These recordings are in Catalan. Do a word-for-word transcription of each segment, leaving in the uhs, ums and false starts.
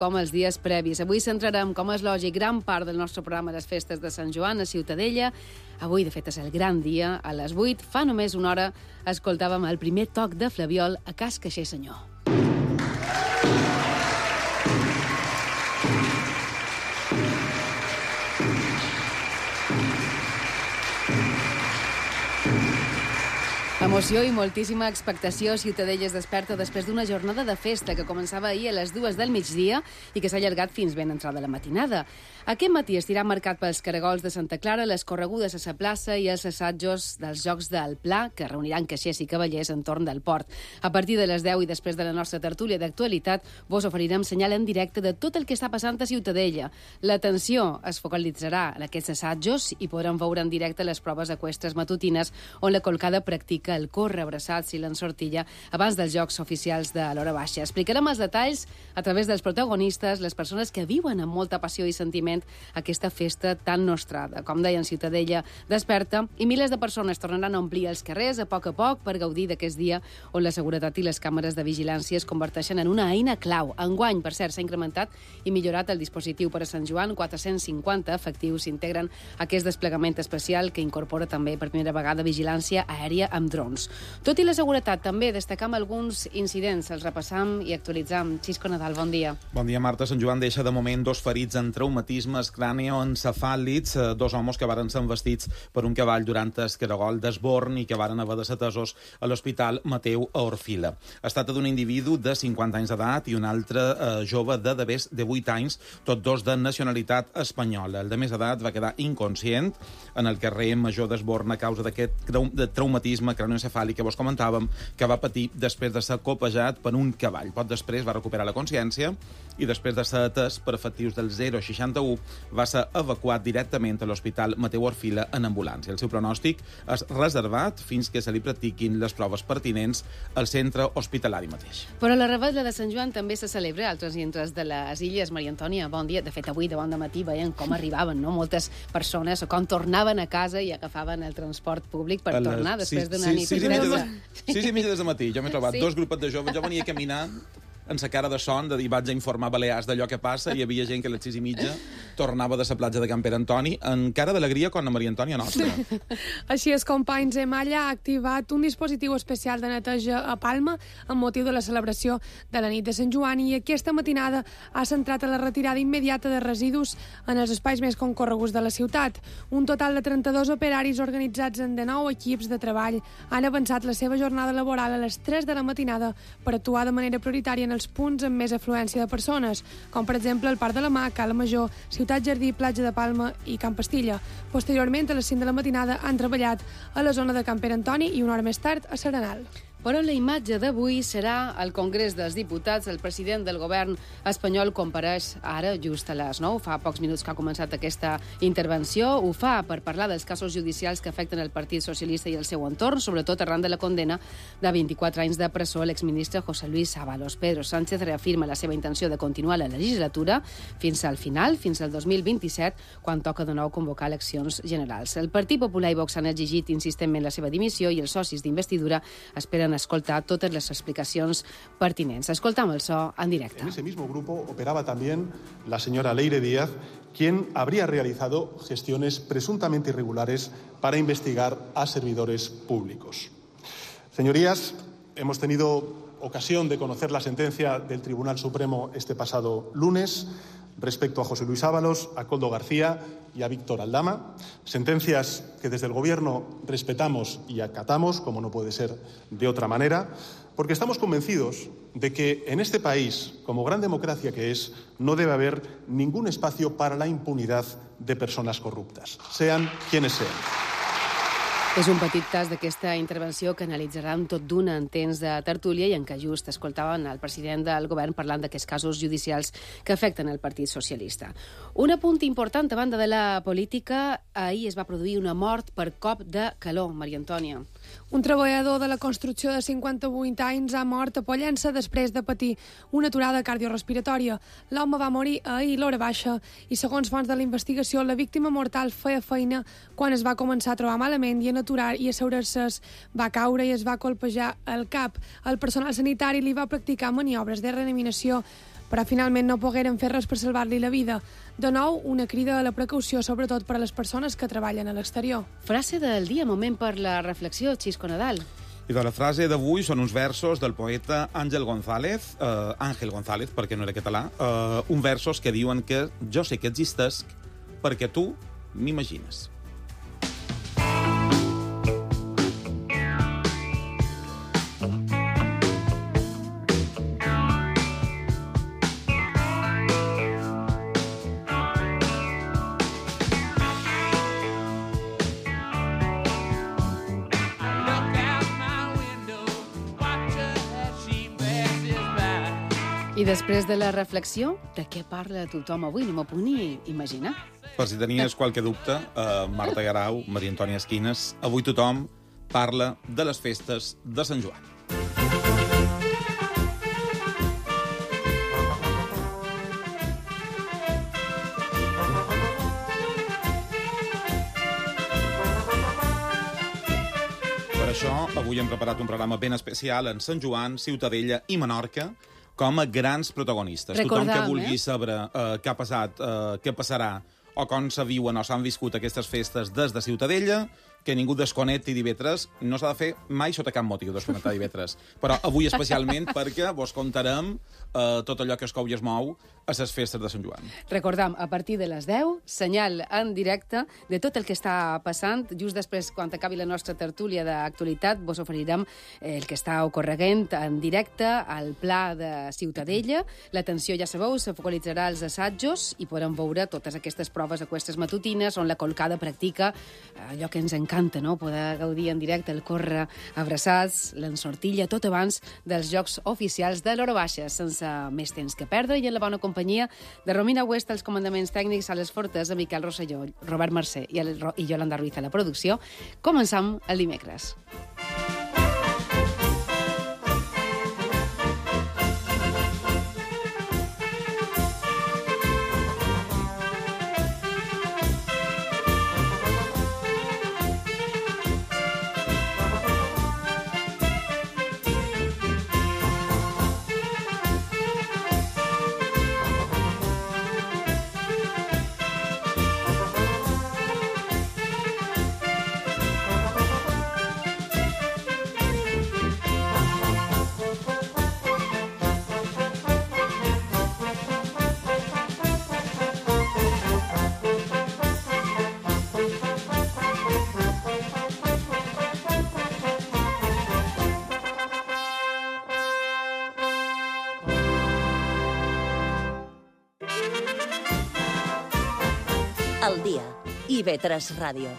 com els dies previs. Avui centrarem, com és lògic, gran part del nostre programa les festes de Sant Joan a Ciutadella. Avui, de fet, és el gran dia. A les vuit, fa només una hora, escoltàvem el primer toc de Flabiol a Cas Caixer Senyor. Emoció i moltíssima expectació. Ciutadella es desperta després d'una jornada de festa que començava ahir a les dues del migdia i que s'ha allargat fins ben entrada la matinada. Aquest matí estirà marcat pels caragols de Santa Clara, les corregudes a la plaça i els assajos dels Jocs del Pla, que reuniran caixers i cavallers entorn del port. A partir de les deu i després de la nostra tertúlia d'actualitat, vos oferirem senyal en directe de tot el que està passant a Ciutadella. L'atenció es focalitzarà en aquests assajos i podrem veure en directe les proves eqüestres matutines on la Colcada practica el córrer abraçats i l'ensortilla abans dels Jocs oficials de l'hora baixa. Explicarem els detalls a través dels protagonistes, les persones que viuen amb molta passió i sentiment aquesta festa tan nostrada. Com deien, Ciutadella desperta i milers de persones tornaran a omplir els carrers a poc a poc per gaudir d'aquest dia on la seguretat i les càmeres de vigilància es converteixen en una eina clau. Enguany, per cert, s'ha incrementat i millorat el dispositiu per a Sant Joan. quatre-cents cinquanta efectius s'integren a aquest desplegament especial que incorpora també per primera vegada vigilància aèria amb drons. Tot i la seguretat, també destacam alguns incidents. Els repassam i actualitzam. Xisco Nadal, bon dia. Bon dia, Marta. Sant Joan deixa de moment dos ferits en traumatismes cranioencefàlics, dos homes que varen ser vestits per un cavall durant el caragol d'Esborn i que varen haver de ser atesos a l'Hospital Mateu a Orfila. Es tracta d'un individu de cinquanta anys d'edat i un altre eh, jove de de més de vuit anys, tots dos de nacionalitat espanyola. El de més edat va quedar inconscient en el carrer Major d'Esborn a causa d'aquest de traumatisme cranioencefàlic que vos comentàvem, que va patir després de ser copejat per un cavall. Poc després va recuperar la consciència i després de ser atès per efectius del zero seixanta u va ser evacuat directament a l'Hospital Mateu Orfila en ambulància. El seu pronòstic és reservat fins que se li practiquin les proves pertinents al centre hospitalari mateix. Però la Revetlla de Sant Joan també se celebra a altres indrets de les illes. Maria Antònia, bon dia. De fet, avui de bon matí veiem com arribaven, no? Moltes persones, o com tornaven a casa i agafaven el transport públic per tornar després d'una sí, nit. Sí, sí, sis i mitja de matí. Jo m'he trobat Sí. dos grupets de joves. Jo venia caminant en sa cara de son, de dir vaig a informar Balears d'allò que passa, i hi havia gent que a les sis i mitja tornava de la platja de Can Pere Antoni en cara d'alegria com la Maria Antònia nostra. Així és, companys, Emalla ha activat un dispositiu especial de neteja a Palma amb motiu de la celebració de la nit de Sant Joan i aquesta matinada ha centrat a la retirada immediata de residus en els espais més concorreguts de la ciutat. Un total de trenta-dos operaris organitzats en dinou equips de treball han avançat la seva jornada laboral a les tres de la matinada per actuar de manera prioritària en els punts amb més afluència de persones, com per exemple el Parc de la Mar, Cala Major, Ciutat Jardí, Platja de Palma i Camp Pastilla. Posteriorment, a les cinc de la matinada, han treballat a la zona de Can Pere Antoni i una hora més tard a Serenal. Però la imatge d'avui serà al Congrés dels Diputats. El president del govern espanyol compareix ara, just a les nou, fa pocs minuts que ha començat aquesta intervenció. Ho fa per parlar dels casos judicials que afecten el Partit Socialista i el seu entorn, sobretot arran de la condena de vint-i-quatre anys de presó a l'exministre José Luis Ábalos. Pedro Sánchez reafirma la seva intenció de continuar la legislatura fins al final, fins al dos mil vint-i-set, quan toca de nou convocar eleccions generals. El Partit Popular i Vox han exigit insistentment la seva dimissió i els socis d'investidura esperen escoltar totes les explicacions pertinents. Escoltam el so en directe. En ese mismo grupo operaba también la señora Leire Díaz, quien habría realizado gestiones presuntamente irregulares para investigar a servidores públicos. Señorías, hemos tenido ocasión de conocer la sentencia del Tribunal Supremo este pasado lunes respecto a José Luis Ábalos, a Koldo García y a Víctor Aldama. Sentencias que desde el Gobierno respetamos y acatamos, como no puede ser de otra manera, porque estamos convencidos de que en este país, como gran democracia que es, no debe haber ningún espacio para la impunidad de personas corruptas, sean quienes sean. És un petit tas d'aquesta intervenció que analitzarem tot d'una en temps de tertúlia i en què just escoltaven el president del govern parlant d'aquests casos judicials que afecten el Partit Socialista. Un apunt important a banda de la política, ahir es va produir una mort per cop de calor, Maria Antònia. Un treballador de la construcció de cinquanta-vuit anys ha mort a Pollença després de patir una aturada cardiorespiratòria. L'home va morir ahir a l'hora baixa i, segons fonts de la investigació, la víctima mortal feia feina quan es va començar a trobar malament i en aturar i assegurar-se va caure i es va colpejar el cap. El personal sanitari li va practicar maniobres de reanimació però finalment no pogueren fer res per salvar-li la vida. De nou, una crida a la precaució, sobretot per a les persones que treballen a l'exterior. Frase del dia, moment per la reflexió, Xisco Nadal. I de la frase d'avui són uns versos del poeta Àngel González, eh, Àngel González, perquè no era català, eh, uns versos que diuen que jo sé que existesc perquè tu m'imagines. I després de la reflexió, de què parla tothom avui? No m'ho puc ni imaginar. Per si tenies qualque dubte, eh, Marta Garau, Maria Antònia Esquines, avui tothom parla de les festes de Sant Joan. Per això, avui hem preparat un programa ben especial en Sant Joan, Ciutadella i Menorca, com a grans protagonistes. Recordam, Tothom que vulgui eh? saber eh, què ha passat, eh, què passarà, o com se viuen o s'han viscut aquestes festes des de Ciutadella, que ningú desconnecti divendres. No s'ha de fer mai sota cap motiu desconnectar divendres. Però avui especialment perquè vos contarem eh, tot allò que es cou i es mou a les festes de Sant Joan. Recordam, a partir de les deu, senyal en directe de tot el que està passant. Just després, quan acabi la nostra tertúlia d'actualitat, vos oferirem el que està ocorreguent en directe al Pla de Ciutadella. L'atenció, ja sabeu, se focalitzarà als assajos i podrem veure totes aquestes proves aquestes matutines on la colcada practica allò que ens encanta, no? Poder gaudir en directe el córrer abraçats, l'ensortilla, tot abans dels jocs oficials de l'Hora Baixa, sense més temps que perdre, i en la bona companyia de Romina West, els comandaments tècnics a les Fortes, de Miquel Rosselló, Robert Mercè i, el, i Yolanda Ruiz a la producció. Començam el dimecres. Al dia. I ve tres Ràdio.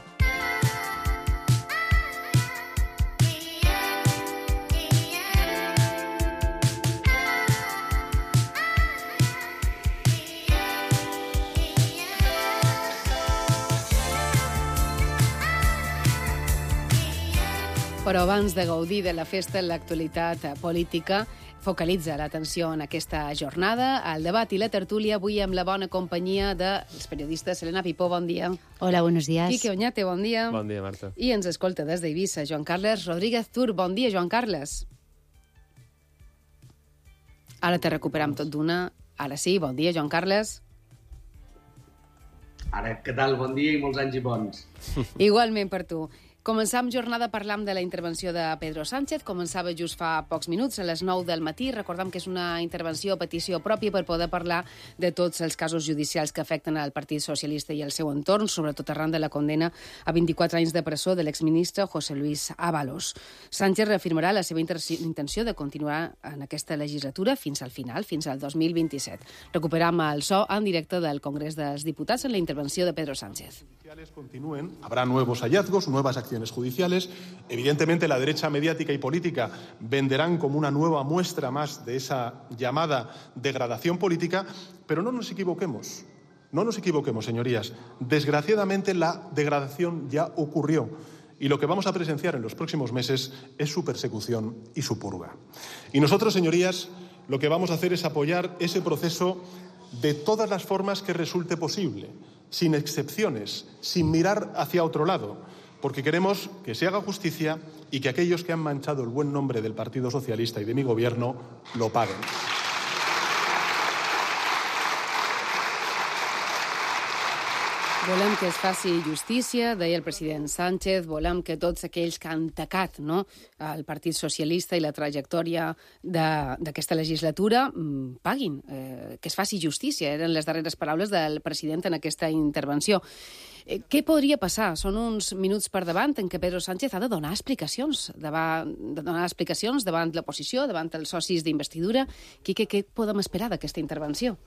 Però abans de gaudir de la festa, l'actualitat política focalitza l'atenció en aquesta jornada. El debat i la tertúlia avui amb la bona companyia dels periodistes. Elena Pipó, bon dia. Hola, buenos días. Quique Oñate, bon dia. Bon dia, Marta. I ens escolta des d'Eivissa, Joan Carles Rodríguez Tur. Bon dia, Joan Carles. Ara te recuperam tot d'una. Ara sí, bon dia, Joan Carles. Ara, què tal? Bon dia i molts anys i bons. Igualment per tu. Començam jornada parlant de la intervenció de Pedro Sánchez. Començava just fa pocs minuts, a les nou del matí. Recordem que és una intervenció a petició pròpia per poder parlar de tots els casos judicials que afecten al Partit Socialista i el seu entorn, sobretot arran de la condena a vint-i-quatre anys de presó de l'exministre José Luis Ábalos. Sánchez reafirmarà la seva intenció de continuar en aquesta legislatura fins al final, fins al dos mil vint-i-set. Recuperam el so en directe del Congrés dels Diputats en la intervenció de Pedro Sánchez. Continúen, habrá nuevos hallazgos, nuevas acciones judiciales. Evidentemente, la derecha mediática y política venderán como una nueva muestra más de esa llamada degradación política, pero no nos equivoquemos, no nos equivoquemos, señorías. Desgraciadamente, la degradación ya ocurrió y lo que vamos a presenciar en los próximos meses es su persecución y su purga. Y nosotros, señorías, lo que vamos a hacer es apoyar ese proceso de todas las formas que resulte posible, sin excepciones, sin mirar hacia otro lado, porque queremos que se haga justicia y que aquellos que han manchado el buen nombre del Partido Socialista y de mi gobierno lo paguen. Volem que es faci justícia, deia el president Sánchez, volem que tots aquells que han tacat, no, el Partit Socialista i la trajectòria d'aquesta legislatura mm, paguin, eh, que es faci justícia. Eren les darreres paraules del president en aquesta intervenció. Eh, què podria passar? Són uns minuts per davant en què Pedro Sánchez ha de donar explicacions, davant, de donar explicacions davant l'oposició, davant els socis d'investidura. Quique, què podem esperar d'aquesta intervenció?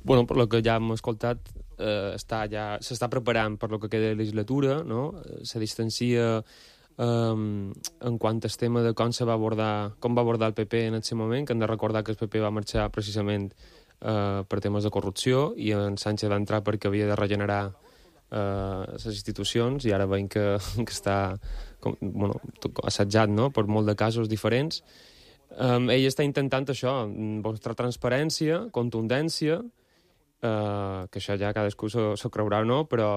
Bueno, per lo que ja hem escoltat, eh, està ja s'està preparant per lo que queda de legislatura, no? Se distancia eh, en quant al tema de com se va abordar, com va abordar el P P en aquest moment, que hem de recordar que el P P va marxar precisament eh, per temes de corrupció i en Sánchez va entrar perquè havia de regenerar eh, les institucions i ara veiem que, que està com, bueno, assetjat, no?, per molt de casos diferents. Um, ell està intentant això, mostrar transparència, contundència, Uh, que això ja cadascú s'ho creurà o no, però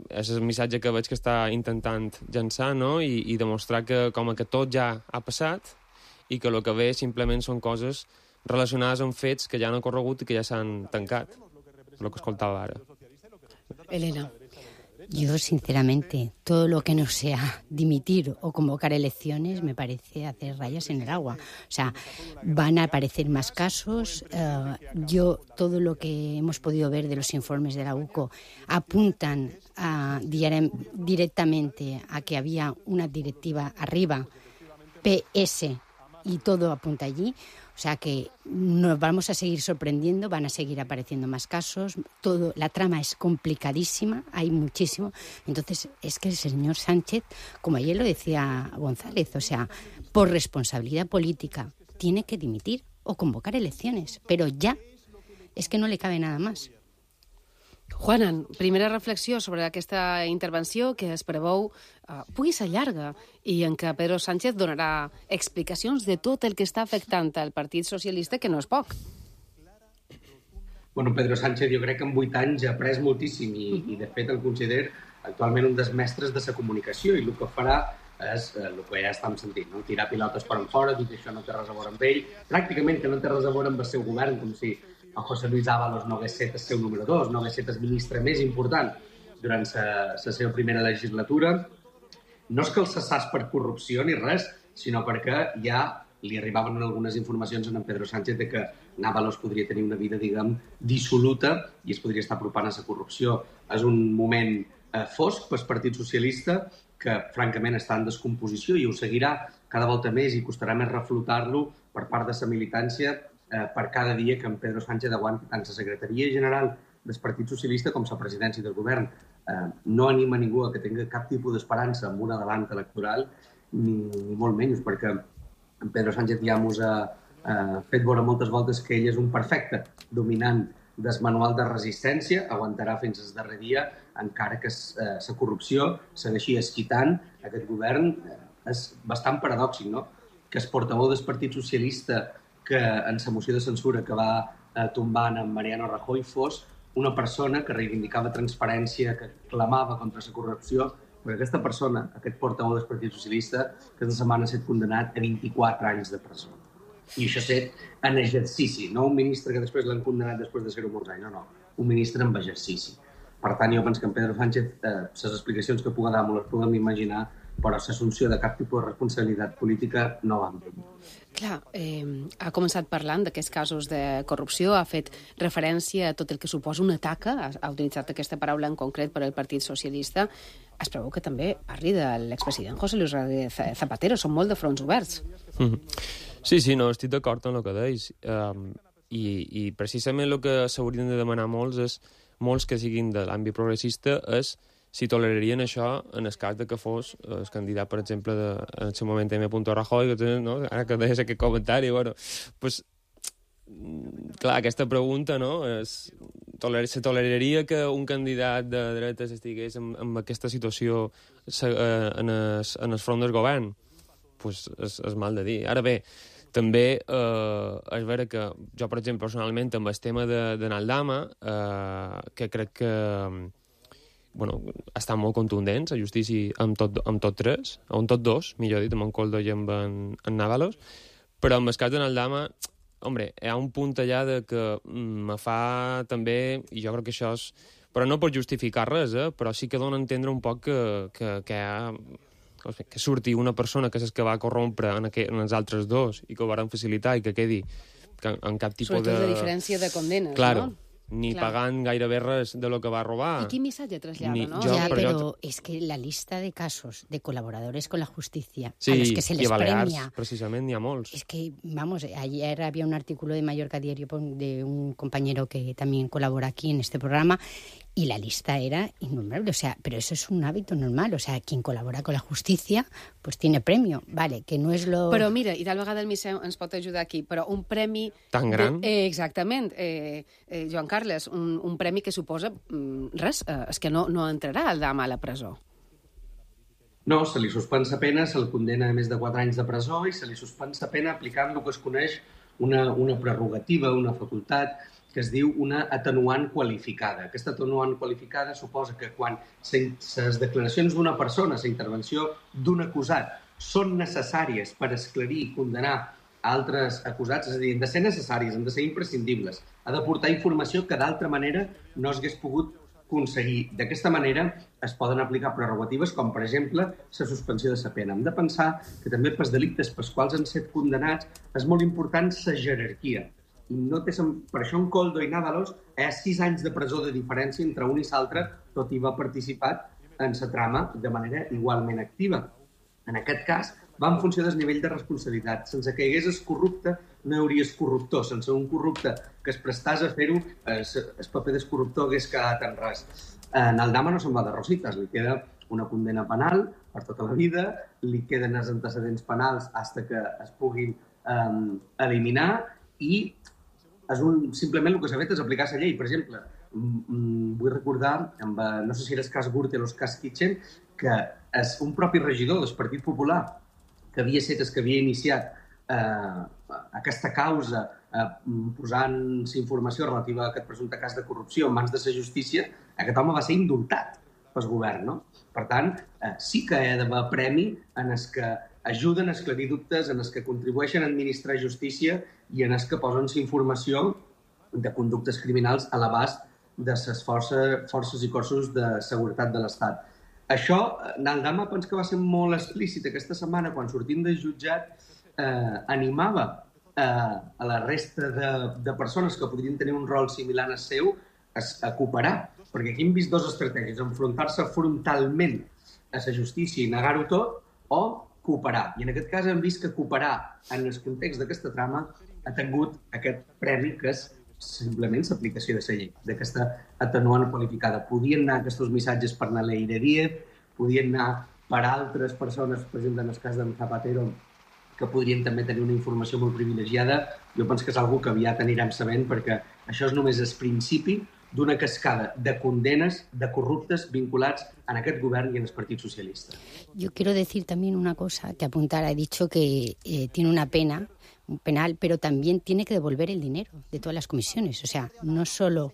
és el missatge que veig que està intentant llançar, no? I, i demostrar que com que tot ja ha passat i que el que ve simplement són coses relacionades amb fets que ja han ocorregut i que ja s'han tancat, el que escoltava ara. Elena. Yo, sinceramente, todo lo que no sea dimitir o convocar elecciones me parece hacer rayas en el agua. O sea, van a aparecer más casos. Uh, yo, todo lo que hemos podido ver de los informes de la U C O apuntan a, directamente a que había una directiva arriba, P S, y todo apunta allí. O sea que nos vamos a seguir sorprendiendo, van a seguir apareciendo más casos, todo, la trama es complicadísima, hay muchísimo. Entonces es que el señor Sánchez, como ayer lo decía González, o sea, por responsabilidad política tiene que dimitir o convocar elecciones, pero ya, es que no le cabe nada más. Juanan, primera reflexió sobre aquesta intervenció que es preveu uh, pugui ser llarga i en què Pedro Sánchez donarà explicacions de tot el que està afectant al Partit Socialista, que no és poc. Bueno, Pedro Sánchez jo crec que en vuit anys ha après moltíssim i, i de fet el considero actualment un dels mestres de la comunicació i el que farà és eh, el que ja estem sentint, no? Tirar pilotes per enfora, dir que això no té res a veure amb ell, pràcticament que no té res a veure amb el seu govern, com si el José Luis Ábalos no hagués set el seu número dos, no hagués set el ministre més important durant la seva primera legislatura. No és que el cessàs per corrupció ni res, sinó perquè ja li arribaven algunes informacions a en Pedro Sánchez de que Ábalos podria tenir una vida, diguem, dissoluta i es podria estar apropant a la corrupció. És un moment eh, fosc pel Partit Socialista que, francament, està en descomposició i ho seguirà cada volta més i costarà més reflotar-lo per part de la militància eh, per cada dia que en Pedro Sánchez aguanti tant la secretaria general del Partit Socialista com la presidència del govern. Eh, no anima ningú a que tingui cap tipus d'esperança en un adelant electoral, ni, ni molt menys, perquè en Pedro Sánchez ja ens ha eh, fet veure moltes voltes que ell és un perfecte dominant del manual de resistència, aguantarà fins al darrer dia, encara que la eh, corrupció segueixi esquitant aquest govern. Eh, és bastant paradòxic, no?, que el portaveu del Partit Socialista que en la moció de censura que va eh, tombant en Mariano Rajoy fos una persona que reivindicava transparència, que clamava contra la corrupció, perquè aquesta persona, aquest portaveu del Partit Socialista, aquesta setmana ha estat condemnat a vint-i-quatre anys de presó. I això ha estat en exercici, no un ministre que després l'han condemnat després de ser-ho molts anys, no, no, un ministre en exercici. Per tant, jo penso que en Pedro Sánchez, eh, les explicacions que pugui dar, les puguem imaginar, però l'assumpció de cap tipus de responsabilitat política no va amb ell. Clar, eh, ha començat parlant d'aquests casos de corrupció, ha fet referència a tot el que suposa una taca, ha, ha utilitzat aquesta paraula en concret per al Partit Socialista. Es preveu que també parli de l'expresident José Luis Rodríguez Zapatero, són molt de fronts oberts. Mm-hmm. Sí, sí, no, estic d'acord amb el que deis. Um, i, I precisament el que s'haurien de demanar molts és, molts que siguin de l'àmbit progressista, és si tolerarien això en el cas de que fos el candidat, per exemple, de, en el seu moment M. Rajoy, que, no? Ara que deies aquest comentari, bueno, pues, clar, aquesta pregunta, no?, és, toler, se toleraria que un candidat de dretes estigués en, en aquesta situació en el, en el front del govern? Pues és, és mal de dir. Ara bé, també eh, és vera que jo, per exemple, personalment, amb el tema de, de Naldama, eh, que crec que bueno, estan molt contundents a justícia amb tot, amb tot tres, o amb tot dos, millor dit, amb en Coldo i amb en, en Ábalos, però en el cas de Naldama, hombre, hi ha un punt allà de que me fa també, i jo crec que això és Però no per justificar res, eh? Però sí que dona a entendre un poc que, que, que, ha, que surti una persona que és que va corrompre en, aqu en els altres dos i que ho van facilitar i que quedi que en cap tipus Sobretot de... la diferència de condenes, claro. no? Ni Clar. pagant gairebé res de lo que va robar. I quin missatge trasllada, Ni, no? jo, Ya, però, pero jo... es que la lista de casos de colaboradores con la justicia sí, a los que se les i a Balears, premia... precisament, n'hi ha molts. Es que, vamos, ayer había un artículo de Mallorca Diario de un compañero que también colabora aquí en este programa y la lista era innumerable. O sea, pero eso es un hábito normal. O sea, quien colabora con la justicia, pues tiene premio. Vale, que no és lo... Però mira, i tal vegada el Miseu ens pot ajudar aquí, però un premi... Tan gran? De, eh, exactament. Eh, eh, Joan Carles, un, un premi que suposa mm, res, eh, és que no, no entrarà el dama a la presó. No, se li suspèn la pena, se li condena a més de quatre anys de presó i se li suspèn la pena aplicant el que es coneix una, una prerrogativa, una facultat, que es diu una atenuant qualificada. Aquesta atenuant qualificada suposa que quan les declaracions d'una persona, la intervenció d'un acusat, són necessàries per esclarir i condenar altres acusats, és a dir, han de ser necessàries, han de ser imprescindibles, ha d'aportar informació que d'altra manera no s'hagués pogut aconseguir. D'aquesta manera es poden aplicar prerrogatives com, per exemple, la suspensió de la pena. Hem de pensar que també pels delictes pels quals han estat condemnats és molt important la jerarquia. I no té, per això en Koldo i Návalos hi ha sis anys de presó de diferència entre un i l'altre, tot i va participar en la trama de manera igualment activa. En aquest cas, va en funció del nivell de responsabilitat. Sense que hi hagués el corrupte, no hi hauria el corruptor. Sense un corrupte que es prestàs a fer-ho, el paper del corruptor hagués quedat en res. En el Dama no se'n va de rosites, li queda una condena penal per tota la vida, li queden els antecedents penals fins que es puguin um, eliminar i és un, simplement el que s'ha fet és aplicar la llei. Per exemple, vull recordar, amb, no sé si era el cas Gürtel o el cas Kitchen, que és un propi regidor del Partit Popular que havia set el que havia iniciat eh, aquesta causa eh, posant informació relativa a aquest presumpte cas de corrupció en mans de la justícia, aquest home va ser indultat pel govern, no? Per tant, eh, sí que hi ha d'haver premi en els que ajuden a esclarir dubtes, en els que contribueixen a administrar justícia i en els que posen informació de conductes criminals a l'abast de les forces, forces i cossos de seguretat de l'Estat. Això, Naldama, penso que va ser molt explícit aquesta setmana, quan sortint del jutjat, eh, animava eh, a la resta de, de persones que podrien tenir un rol similar al seu a, a cooperar, perquè aquí hem vist dues estratègies, enfrontar-se frontalment a la justícia i negar-ho tot, o cooperar. I en aquest cas hem vist que cooperar en el context d'aquesta trama ha tingut aquest premi que és simplement l'aplicació de la llei, d'aquesta atenuant qualificada. Podien anar aquests missatges per anar a Leire Díez, podien anar per altres persones, per exemple, en el cas d'en Zapatero, que podrien també tenir una informació molt privilegiada. Jo penso que és una que aviat anirem sabent, perquè això és només el principi d'una cascada de condenes de corruptes vinculats en aquest govern i en el Partit Socialista. Yo quiero decir también una cosa que apuntar. He dicho que eh, tiene una pena, un penal, pero también tiene que devolver el dinero de todas las comisiones. O sea, no solo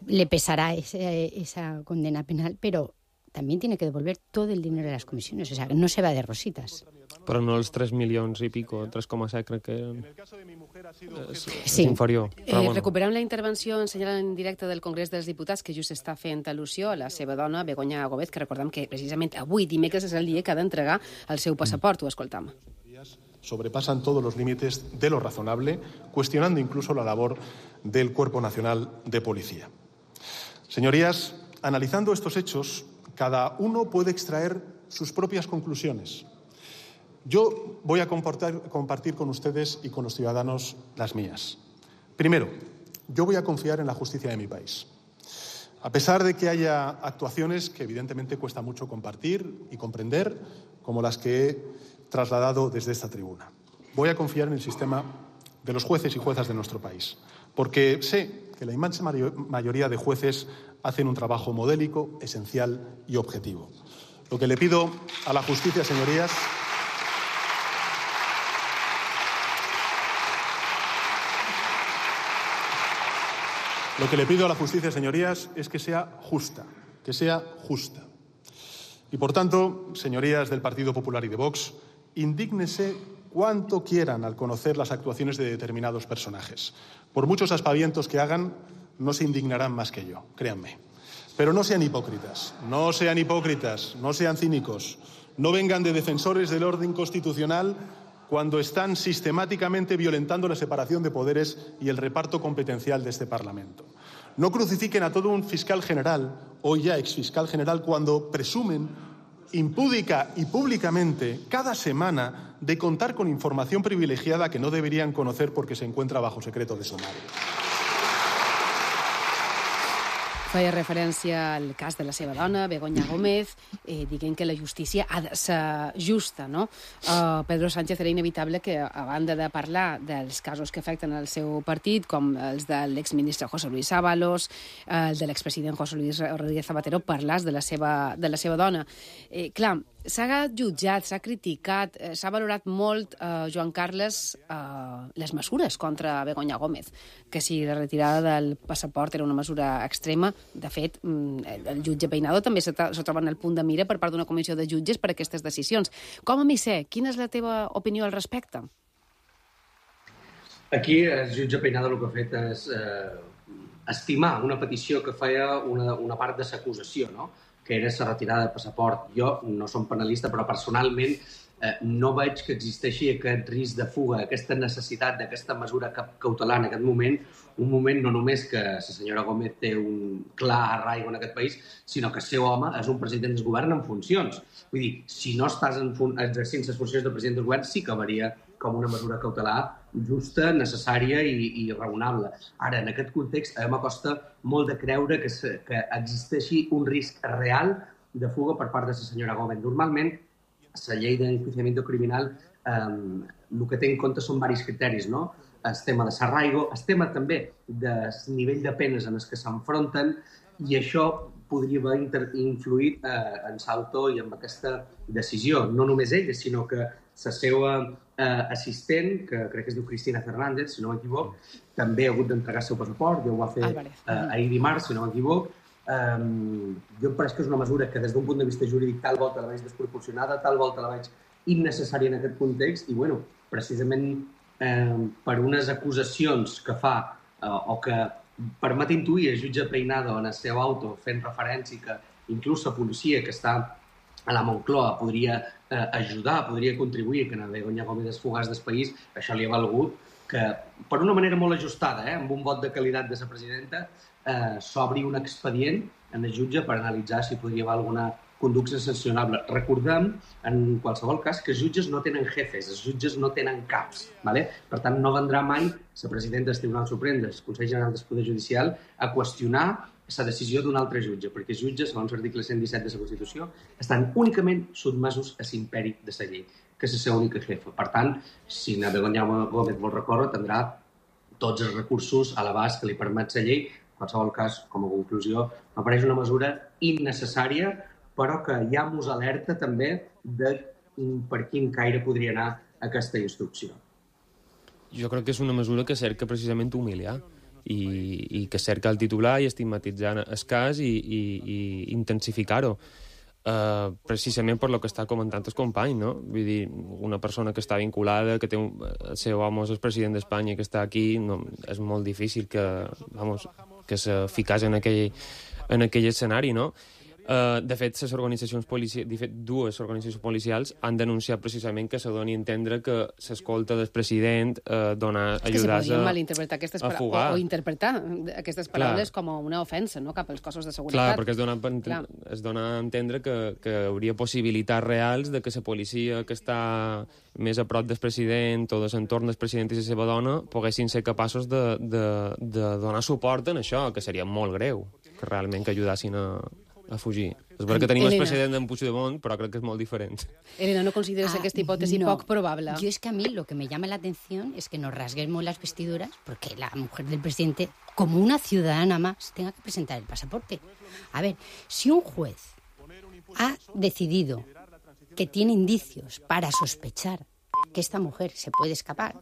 le pesará ese, esa condena penal, pero también tiene que devolver todo el dinero de las comisiones. O sea, no se va de rositas. Però no els tres milions i pico, tres coma set crec que eren. És, Sí. és inferior. Eh, Però, bueno. recuperem la intervenció ensenyada en directe del Congrés dels Diputats, que just està fent al·lusió a la seva dona, Begoña Gómez, que recordem que precisament avui, dimecres, és el dia que ha d'entregar el seu passaport. Ho escoltam. Sobrepasan todos los límites de lo razonable, cuestionando incluso la labor del Cuerpo Nacional de Policía. Señorías, analizando estos hechos, cada uno puede extraer sus propias conclusiones. Yo voy a compartir con ustedes y con los ciudadanos las mías. Primero, yo voy a confiar en la justicia de mi país. A pesar de que haya actuaciones que evidentemente cuesta mucho compartir y comprender, como las que he trasladado desde esta tribuna. Voy a confiar en el sistema de los jueces y juezas de nuestro país, porque sé que la inmensa mayoría de jueces hacen un trabajo modélico, esencial y objetivo. Lo que le pido a la justicia, señorías, Lo que le pido a la justicia, señorías, es que sea justa, que sea justa. Y, por tanto, señorías del Partido Popular y de Vox, indígnese cuanto quieran al conocer las actuaciones de determinados personajes. Por muchos aspavientos que hagan, no se indignarán más que yo, créanme. Pero no sean hipócritas, no sean hipócritas, no sean cínicos, no vengan de defensores del orden constitucional cuando están sistemáticamente violentando la separación de poderes y el reparto competencial de este Parlamento. No crucifiquen a todo un fiscal general, hoy ya exfiscal general, cuando presumen impúdica y públicamente cada semana de contar con información privilegiada que no deberían conocer porque se encuentra bajo secreto de sumario. Feia referència al cas de la seva dona, Begoña Gómez, eh, dient que la justícia ha de ser justa, no? Uh, Pedro Sánchez era inevitable que, a banda de parlar dels casos que afecten el seu partit, com els de l'exministre José Luis Ábalos, eh, el de l'expresident José Luis Rodríguez Zapatero, parlàs de la seva, de la seva dona. Eh, clar, s'ha jutjat, s'ha criticat, eh, s'ha valorat molt, eh, Joan Carles, eh, les mesures contra Begoña Gómez, que si la retirada del passaport era una mesura extrema. De fet, el jutge Peinado també se troba en el punt de mira per part d'una comissió de jutges per a aquestes decisions. Com a misser, quina és la teva opinió al respecte? Aquí el jutge Peinado el que ha fet és eh, estimar una petició que feia una, una part de l'acusació, no? Que era la retirada del passaport. Jo no som penalista, però personalment eh, no veig que existeixi aquest risc de fuga, aquesta necessitat d'aquesta mesura cautelar en aquest moment, un moment no només que la senyora Gómez té un clar arraigo en aquest país, sinó que el seu home és un president del govern en funcions. Vull dir, si no estàs en fun exercint les funcions de president del govern, sí que varia com una mesura cautelar justa, necessària i, i raonable. Ara, en aquest context, a mi m'acosta molt de creure que, se, que existeixi un risc real de fuga per part de la senyora Gómez. Normalment, la llei d'enjuiciamiento criminal eh, el que té en compte són diversos criteris, no? El tema de s'arraigo, el tema també del nivell de penes en els que s'enfronten, i això podria haver influït eh, en Salto i en aquesta decisió. No només ella, sinó que la seva eh, assistent, que crec que es diu Cristina Fernández, si no m'equivoc, també ha hagut d'entregar el seu passaport, ja ho va fer eh, ahir dimarts, si no m'equivoc. Um, jo em pareix que és una mesura que des d'un punt de vista jurídic tal volta la veig desproporcionada, tal volta la veig innecessària en aquest context, i bueno, precisament eh, per unes acusacions que fa eh, o que permet intuir el jutge Peinado en el seu auto fent referència que inclús la policia que està a la Moncloa podria eh, ajudar, podria contribuir que la Begoña Gómez es fugàs del país, això li ha valgut que, per una manera molt ajustada, eh, amb un vot de qualitat de la presidenta, eh, s'obri un expedient en el jutge per analitzar si podria haver alguna conducta sancionable. Recordem, en qualsevol cas, que els jutges no tenen jefes, els jutges no tenen caps. ¿vale? Per tant, no vendrà mai la presidenta del Tribunal Suprem, del Consell General del Poder Judicial, a qüestionar la decisió d'un altre jutge, perquè els jutges, segons l'article cent disset de la Constitució, estan únicament sotmesos a l'imperi de la llei, que és la seva única jefa. Per tant, si la Begoña Gómez vol recórrer, tindrà tots els recursos a l'abast que li permet la llei. En qualsevol cas, com a conclusió, m'apareix una mesura innecessària, però que ja mos alerta també de per quin caire podria anar aquesta instrucció. Jo crec que és una mesura que cerca precisament humiliar i, i que cerca el titular i estigmatitzar el cas i, i, i intensificar-ho. Uh, precisament per lo que està comentant el company, no? Vull dir, una persona que està vinculada, que té un, el seu home és el president d'Espanya, que està aquí, no, és molt difícil que, vamos, que se ficàs en aquell, en aquell escenari, no? Uh, de fet, les organitzacions policials, de fet, dues organitzacions policials han denunciat precisament que se doni a entendre que l'escolta del president uh, dona ajudats a, aquestes a fugar. O, o interpretar aquestes paraules Clar. com una ofensa, no?, cap als cossos de seguretat. Clar, perquè es dona, es dona a entendre que, que hauria possibilitats reals de que la policia que està més a prop del president o de l'entorn del president i la seva dona poguessin ser capaços de, de, de donar suport en això, que seria molt greu, que realment que ajudassin a a fugir. És veritat que tenim Elena. el precedent d'en Puigdemont, però crec que és molt diferent. Elena, ¿no consideras ah, esta hipótesis no. poco probable? Yo es que a mí lo que me llama la atención es que nos rasguemos las vestiduras porque la mujer del presidente, como una ciudadana más, tenga que presentar el pasaporte. A ver, si un juez ha decidido que tiene indicios para sospechar que esta mujer se puede escapar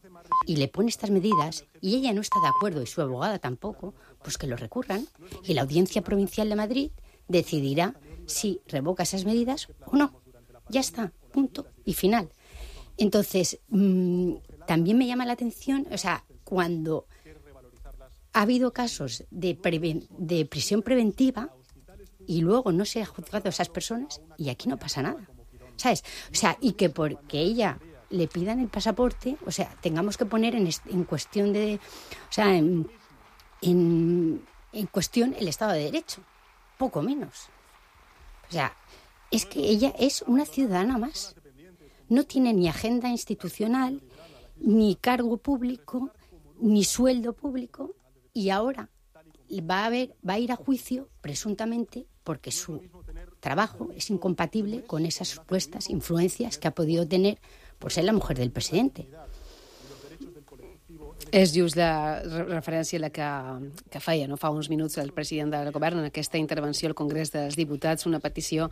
y le pone estas medidas y ella no está de acuerdo y su abogada tampoco, pues que lo recurran y la Audiencia Provincial de Madrid decidirá si revoca esas medidas o no. Ya está, punto y final. Entonces, mmm, también me llama la atención, o sea, cuando ha habido casos de, preven- de prisión preventiva, y luego no se ha juzgado a esas personas y aquí no pasa nada, ¿sabes? O sea, y que porque ella le pidan el pasaporte, o sea, tengamos que poner en, en cuestión de, o sea, en, en, en cuestión el Estado de Derecho, poco menos. O sea, es que ella es una ciudadana más. No tiene ni agenda institucional, ni cargo público, ni sueldo público, y ahora va a, haber, va a ir a juicio, presuntamente, porque su trabajo es incompatible con esas supuestas influencias que ha podido tener por ser la mujer del presidente. És just la referència a la que, que feia no fa uns minuts el president del govern en aquesta intervenció al Congrés dels Diputats, una petició,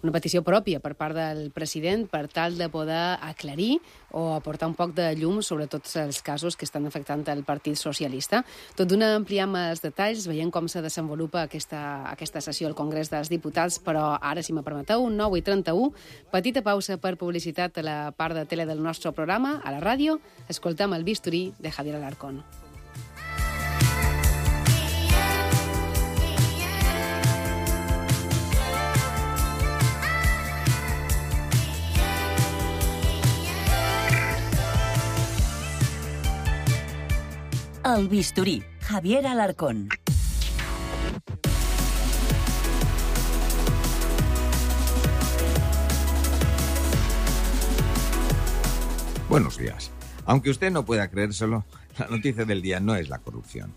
una petició pròpia per part del president per tal de poder aclarir o aportar un poc de llum sobre tots els casos que estan afectant el Partit Socialista. Tot d'una ampliam els detalls, veient com se desenvolupa aquesta, aquesta sessió al Congrés dels Diputats, però ara, si me permeteu, nou i trenta-u, petita pausa per publicitat a la part de tele del nostre programa, a la ràdio, escoltem el bisturí de Javier Alarcón. El bisturí, Javier Alarcón. Buenos días. Aunque usted no pueda creérselo, la noticia del día no es la corrupción.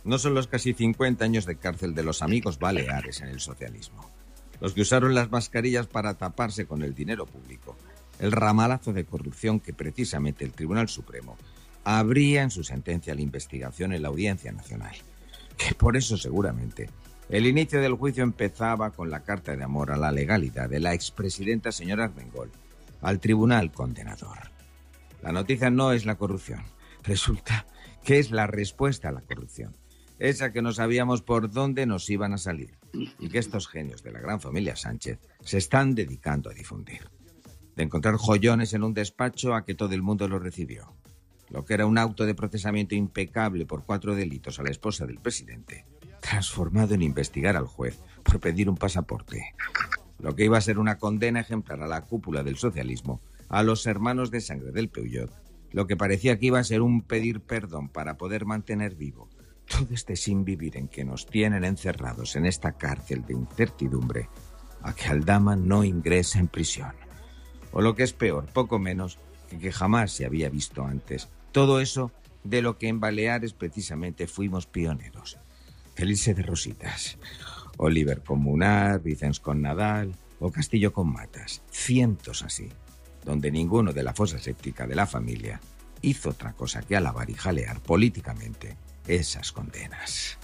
No son los casi cincuenta años de cárcel de los amigos baleares en el socialismo. Los que usaron las mascarillas para taparse con el dinero público. El ramalazo de corrupción que precisamente el Tribunal Supremo habría en su sentencia la investigación en la Audiencia Nacional. Que por eso seguramente el inicio del juicio empezaba con la carta de amor a la legalidad de la expresidenta señora Armengol al Tribunal Condenador. La noticia no es la corrupción. Resulta que es la respuesta a la corrupción. Esa que no sabíamos por dónde nos iban a salir y que estos genios de la gran familia Sánchez se están dedicando a difundir. De encontrar joyones en un despacho a que todo el mundo lo recibió. Lo que era un auto de procesamiento impecable por cuatro delitos a la esposa del presidente, transformado en investigar al juez por pedir un pasaporte. Lo que iba a ser una condena ejemplar a la cúpula del socialismo, a los hermanos de sangre del Peugeot, lo que parecía que iba a ser un pedir perdón para poder mantener vivo todo este sin vivir en que nos tienen encerrados en esta cárcel de incertidumbre, a que Aldama no ingrese en prisión. O lo que es peor, poco menos que que jamás se había visto antes. Todo eso de lo que en Baleares precisamente fuimos pioneros. Felice de Rositas, Oliver con Munar, Vicens con Nadal o Castillo con Matas. Cientos así, donde ninguno de la fosa séptica de la familia hizo otra cosa que alabar y jalear políticamente esas condenas.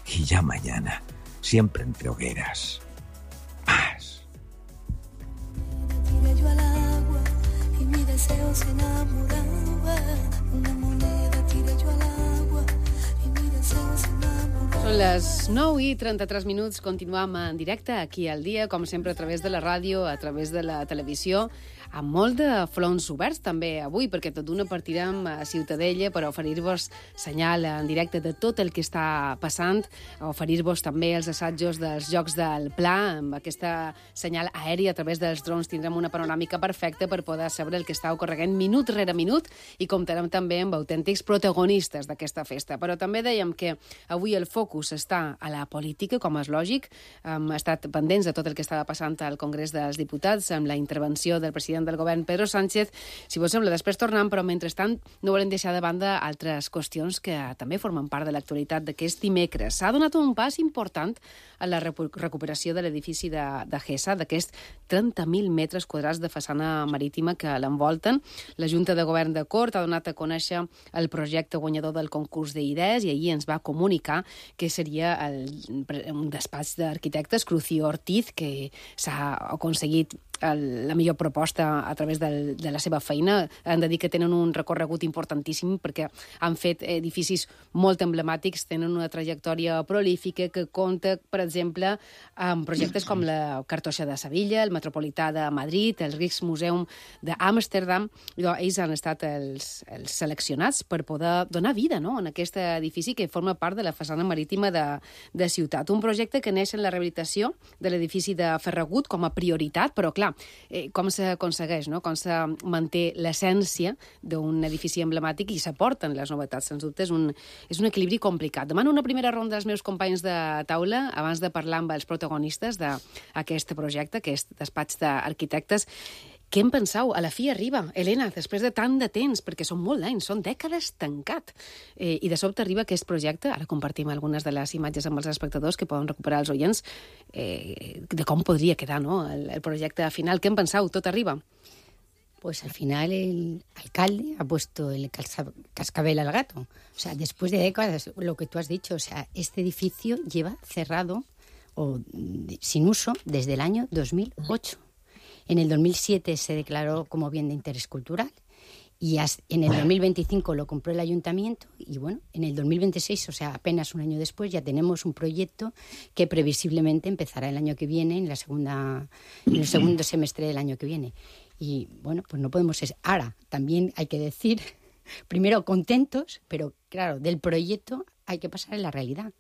Y ya mañana, siempre entre hogueras, más. Tiré yo al agua y mi deseo se enamoraba. Una moneda tiré yo al agua y mi deseo se enamoraba. Són les nou i trenta-tres minuts. Continuam en directe aquí al dia, com sempre a través de la ràdio, a través de la televisió, amb molt de fronts oberts també avui, perquè tot d'una partirem a Ciutadella per oferir-vos senyal en directe de tot el que està passant, oferir-vos també els assajos dels Jocs del Pla, amb aquesta senyal aèria a través dels drons tindrem una panoràmica perfecta per poder saber el que està ocorregent minut rere minut i comptarem també amb autèntics protagonistes d'aquesta festa. Però també dèiem que avui el focus està a la política, com és lògic. Hem estat pendents de tot el que estava passant al Congrés dels Diputats, amb la intervenció del president del govern, Pedro Sánchez. Si vos sembla, després tornem, però mentrestant no volem deixar de banda altres qüestions que també formen part de l'actualitat d'aquest dimecres. S'ha donat un pas important a la recuperació de l'edifici de, de Gesa, d'aquests trenta mil metres quadrats de façana marítima que l'envolten. La Junta de Govern de Cort ha donat a conèixer el projecte guanyador del concurs d'idees i ahir ens va comunicar que seria el, un despatx d'arquitectes, Crucio Ortiz, que s'ha aconseguit el, la millor proposta a través del, de la seva feina. Han de dir que tenen un recorregut importantíssim perquè han fet edificis molt emblemàtics, tenen una trajectòria prolífica que compta, per exemple, amb projectes com la Cartoixa de Sevilla, el Metropolità de Madrid, el Rijksmuseum d'Amsterdam. Ells han estat els, els seleccionats per poder donar vida, no?, en aquest edifici que forma part de la façana marítima de, de ciutat. Un projecte que neix en la rehabilitació de l'edifici de Ferragut com a prioritat, però clar, eh, com s'aconsegueix, no?, com se manté l'essència d'un edifici emblemàtic i s'aporten les novetats. Sens dubte és un, és un equilibri complicat. Demano una primera ronda als meus companys de taula abans de parlar amb els protagonistes d'aquest projecte, aquest despatx d'arquitectes. Què en penseu? A la fi arriba, Helena, després de tant de temps, perquè són molt anys, són dècades tancat. Eh, I de sobte arriba aquest projecte, ara compartim algunes de les imatges amb els espectadors que poden recuperar els oients, eh, de com podria quedar, no?, el, el projecte final. Què en penseu? Tot arriba? Pues al final el alcalde ha puesto el cascabel al gato. O sea, después de décadas, lo que tú has dicho, o sea, este edificio lleva cerrado o sin uso desde el año dos mil ocho. En el dos mil siete se declaró como bien de interés cultural y en el dos mil veinticinco lo compró el ayuntamiento y bueno, en el dos mil veintiséis, o sea, apenas un año después, ya tenemos un proyecto que previsiblemente empezará el año que viene, en la segunda, en el segundo semestre del año que viene. Y bueno, pues no podemos... Ahora, también hay que decir, primero contentos, pero claro, del proyecto hay que pasar a la realidad.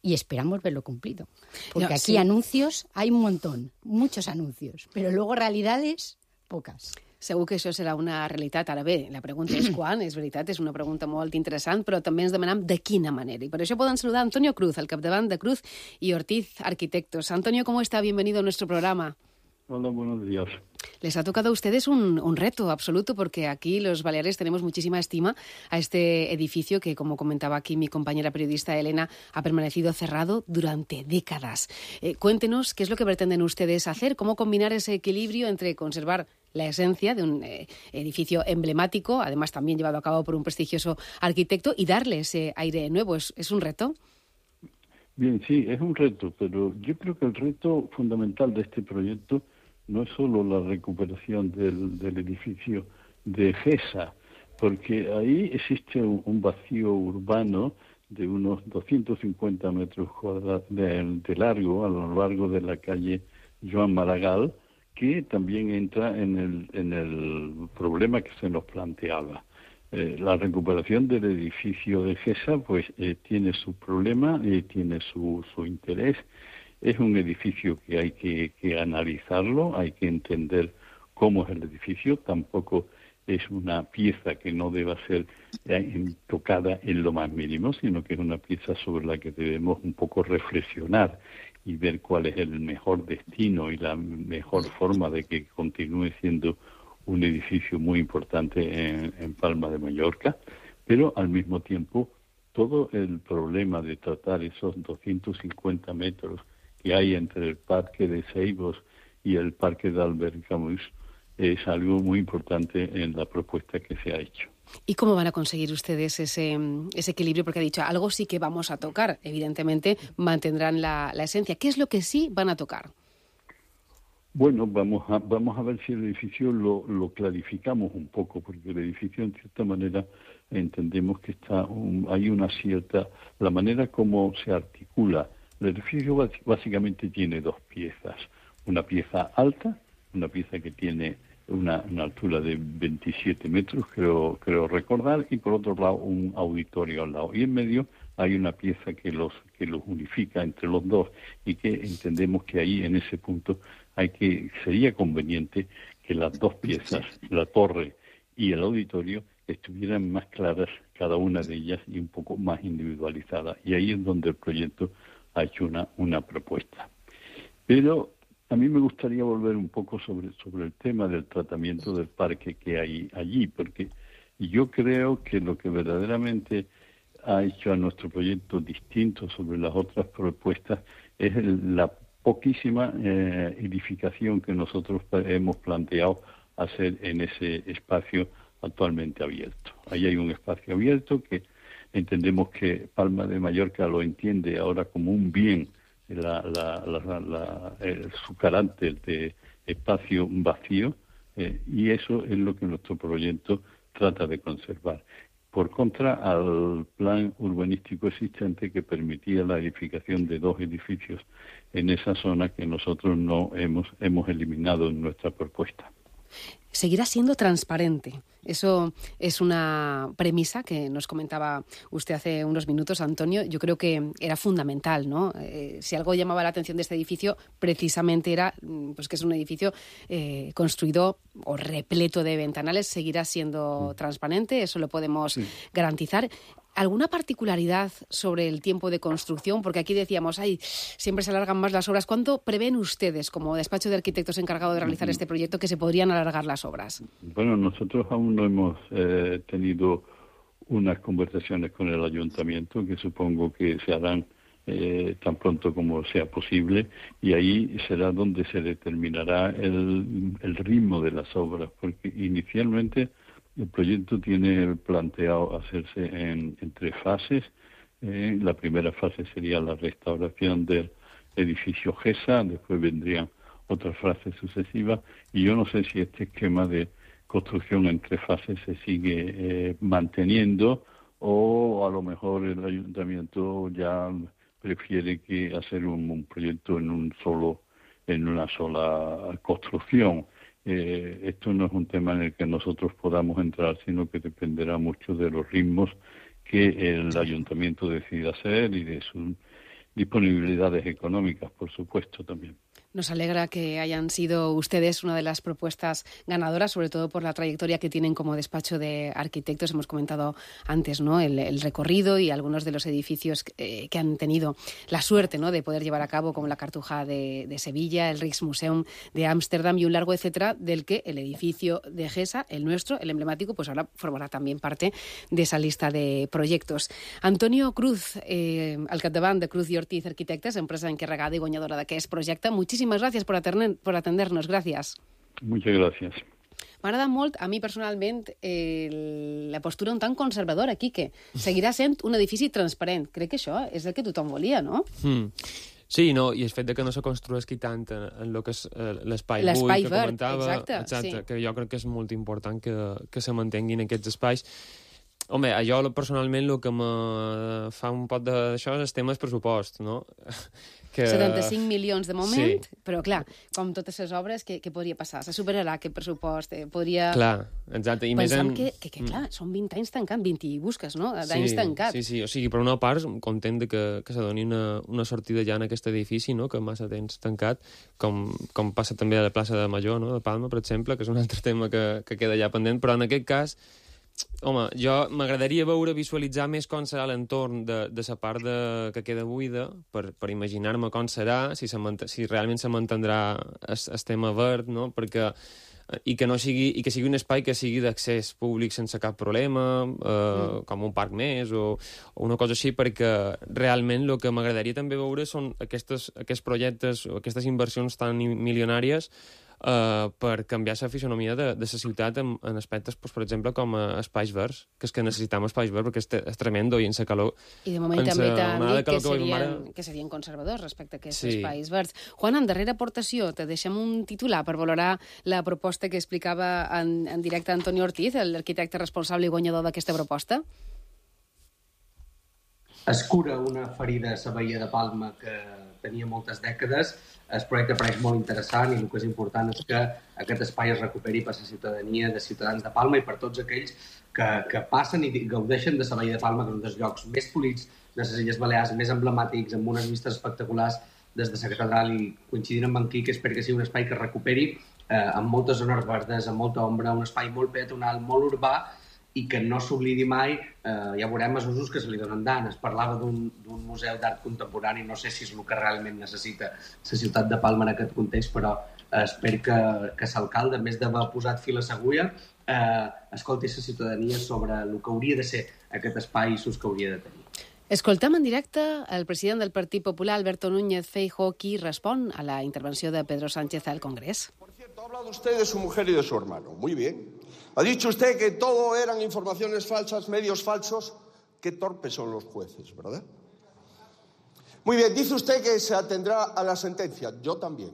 Y esperamos verlo cumplido. Porque no, aquí sí. Anuncios hay un montón, muchos anuncios, pero luego realidades, pocas. Segur que això serà una realitat. Ara bé, la pregunta és quan, és veritat, és una pregunta molt interessant, però també ens demanem de quina manera. I per això poden saludar a Antonio Cruz, al capdavant de Cruz y Ortiz Arquitectos. Antonio, ¿cómo está? Bienvenido a nuestro programa. Hola, buenos días. Les ha tocado a ustedes un, un reto absoluto, porque aquí los baleares tenemos muchísima estima a este edificio que, como comentaba aquí mi compañera periodista Elena, ha permanecido cerrado durante décadas. Eh, cuéntenos qué es lo que pretenden ustedes hacer, cómo combinar ese equilibrio entre conservar la esencia de un eh, edificio emblemático, además también llevado a cabo por un prestigioso arquitecto, y darle ese aire nuevo. ¿Es, es un reto? Bien, sí, es un reto, pero yo creo que el reto fundamental de este proyecto no es solo la recuperación del, del edificio de Gesa, porque ahí existe un, un vacío urbano de unos doscientos cincuenta metros cuadrados de, de largo a lo largo de la calle Joan Maragall, que también entra en el, en el problema que se nos planteaba. Eh, la recuperación del edificio de Gesa pues eh, tiene su problema y eh, tiene su, su interés. Es un edificio que hay que, que analizarlo, hay que entender cómo es el edificio. Tampoco es una pieza que no deba ser eh, tocada en lo más mínimo, sino que es una pieza sobre la que debemos un poco reflexionar y ver cuál es el mejor destino y la mejor forma de que continúe siendo un edificio muy importante en, en Palma de Mallorca, pero al mismo tiempo todo el problema de tratar esos doscientos cincuenta metros que hay entre el Parque de Seibos y el Parque de Albert Camus es algo muy importante en la propuesta que se ha hecho. ¿Y cómo van a conseguir ustedes ese, ese equilibrio? Porque ha dicho, algo sí que vamos a tocar. Evidentemente mantendrán la, la esencia. ¿Qué es lo que sí van a tocar? Bueno, vamos a, vamos a ver si el edificio lo, lo clarificamos un poco, porque el edificio, en cierta manera, entendemos que está un, hay una cierta... La manera como se articula. El edificio básicamente tiene dos piezas. Una pieza alta, una pieza que tiene una, una altura de veintisiete metros, creo, creo recordar, y por otro lado un auditorio al lado. Y en medio hay una pieza que los, que los unifica entre los dos y que entendemos que ahí, en ese punto, hay que sería conveniente que las dos piezas, la torre y el auditorio, estuvieran más claras cada una de ellas y un poco más individualizadas. Y ahí es donde el proyecto ha hecho una, una propuesta. Pero a mí me gustaría volver un poco sobre, sobre el tema del tratamiento del parque que hay allí, porque yo creo que lo que verdaderamente ha hecho a nuestro proyecto distinto sobre las otras propuestas es el, la poquísima eh, edificación que nosotros hemos planteado hacer en ese espacio actualmente abierto. Ahí hay un espacio abierto que entendemos que Palma de Mallorca lo entiende ahora como un bien, la, la, la, la, el, su carácter de espacio vacío, eh, y eso es lo que nuestro proyecto trata de conservar. Por contra, al plan urbanístico existente que permitía la edificación de dos edificios en esa zona que nosotros no hemos, hemos eliminado en nuestra propuesta. Seguirá siendo transparente. Eso es una premisa que nos comentaba usted hace unos minutos, Antonio. Yo creo que era fundamental, ¿no? Eh, si algo llamaba la atención de este edificio, precisamente era pues que es un edificio eh, construido o repleto de ventanales. Seguirá siendo mm. transparente, eso lo podemos sí. garantizar. ¿Alguna particularidad sobre el tiempo de construcción? Porque aquí decíamos, ay, siempre se alargan más las obras. ¿Cuánto prevén ustedes, como despacho de arquitectos encargado de realizar este proyecto, que se podrían alargar las obras? Bueno, nosotros aún no hemos eh, tenido unas conversaciones con el ayuntamiento, que supongo que se harán eh, tan pronto como sea posible, y ahí será donde se determinará el, el ritmo de las obras, porque inicialmente el proyecto tiene planteado hacerse en, en tres fases. Eh, la primera fase sería la restauración del edificio GESA, después vendrían otras fases sucesivas, y yo no sé si este esquema de construcción en tres fases se sigue eh, manteniendo, o a lo mejor el ayuntamiento ya prefiere que hacer un, un proyecto en un solo, en una sola construcción. Eh, esto no es un tema en el que nosotros podamos entrar, sino que dependerá mucho de los ritmos que el ayuntamiento decida hacer y de sus disponibilidades económicas, por supuesto, también. Nos alegra que hayan sido ustedes una de las propuestas ganadoras, sobre todo por la trayectoria que tienen como despacho de arquitectos. Hemos comentado antes, ¿no?, el, el recorrido y algunos de los edificios eh, que han tenido la suerte, ¿no?, de poder llevar a cabo, como la Cartuja de, de Sevilla, el Rijksmuseum de Ámsterdam y un largo etcétera, del que el edificio de GESA, el nuestro, el emblemático, pues ahora formará también parte de esa lista de proyectos. Antonio Cruz, eh, al capdavant de Cruz i Ortiz Arquitectes, empresa encarregada i guanyadora d'aquest projecte. Muchísimas gracias por, atender, por atendernos. Gracias. Muchas gracias. M'agrada molt, a mi personalment, eh, la postura un tant conservadora, Quique. Seguirà sent un edifici transparent. Crec que això és el que tothom volia, no? Mm. Sí, no, i el fet de que no se construeixi tant en, en lo que és eh, l'espai buit que comentava, exacte, exacte, sí. que jo crec que és molt important que, que se mantinguin aquests espais. Home, a jo personalment el que me fa un pot d'això és el tema del pressupost, no? Que... setanta-cinc milions de moment, sí. Però clar, com totes les obres, què, què podria passar? Se superarà aquest pressupost? Eh, podria... Clar, exacte. I Pensam més en... que, que, que, clar, són vint anys tancant, vint i busques, no? D'anys sí, tancat. Sí, sí, o sigui, per una part, content de que, que se doni una, una sortida ja en aquest edifici, no?, que massa temps tancat, com, com passa també a la plaça de Major, no?, de Palma, per exemple, que és un altre tema que, que queda ja pendent, però en aquest cas, home, jo m'agradaria veure, visualitzar més com serà l'entorn de, de la part de, que queda buida, per, per imaginar-me com serà, si, se si realment se mantindrà el tema verd, no?, perquè i que no sigui i que sigui un espai que sigui d'accés públic sense cap problema, eh, mm. com un parc més o, o una cosa així, perquè realment el que m'agradaria també veure són aquestes, aquests projectes o aquestes inversions tan milionàries Uh, per canviar la fisonomia de, de la ciutat en, en aspectes, pues, per exemple, com a espais verds, que és que necessitem espais verds perquè és, és tremendo i en la calor... I de moment també t'han dit que, que, serien, mare... que serien conservadors respecte a aquests sí. espais verds. Juan, en darrera aportació, te deixem un titular per valorar la proposta que explicava en, en directe Antonio Ortiz, l'arquitecte responsable i guanyador d'aquesta proposta. Es cura una ferida a la Badia de Palma que tenia moltes dècades. El projecte pareix molt interessant i el que és important és que aquest espai es recuperi per la ciutadania de ciutadans de Palma i per tots aquells que, que passen i gaudeixen de la Badia de Palma, que és un dels llocs més polits de les Illes Balears, més emblemàtics, amb unes vistes espectaculars des de la catedral, i coincidint amb en Quique, espero que sigui un espai que es recuperi eh, amb moltes zones verdes, amb molta ombra, un espai molt peatonal, molt urbà, i que no s'oblidi mai, eh, ja veurem els usos que se li donen dan. Es parlava d'un museu d'art contemporani, no sé si és el que realment necessita la ciutat de Palma en aquest context, però eh, espero que, que l'alcalde, a més d'haver posat fil a l'agulla, eh, escolti la ciutadania sobre el que hauria de ser aquest espai i l'ús que hauria de tenir. Escoltem en directe el president del Partit Popular, Alberto Núñez Feijóo, qui respon a la intervenció de Pedro Sánchez al Congrés. Por cierto, ha hablado usted de su mujer y de su hermano. Muy bien. Ha dicho usted que todo eran informaciones falsas, medios falsos. Qué torpes son los jueces, ¿verdad? Muy bien, dice usted que se atendrá a la sentencia. Yo también.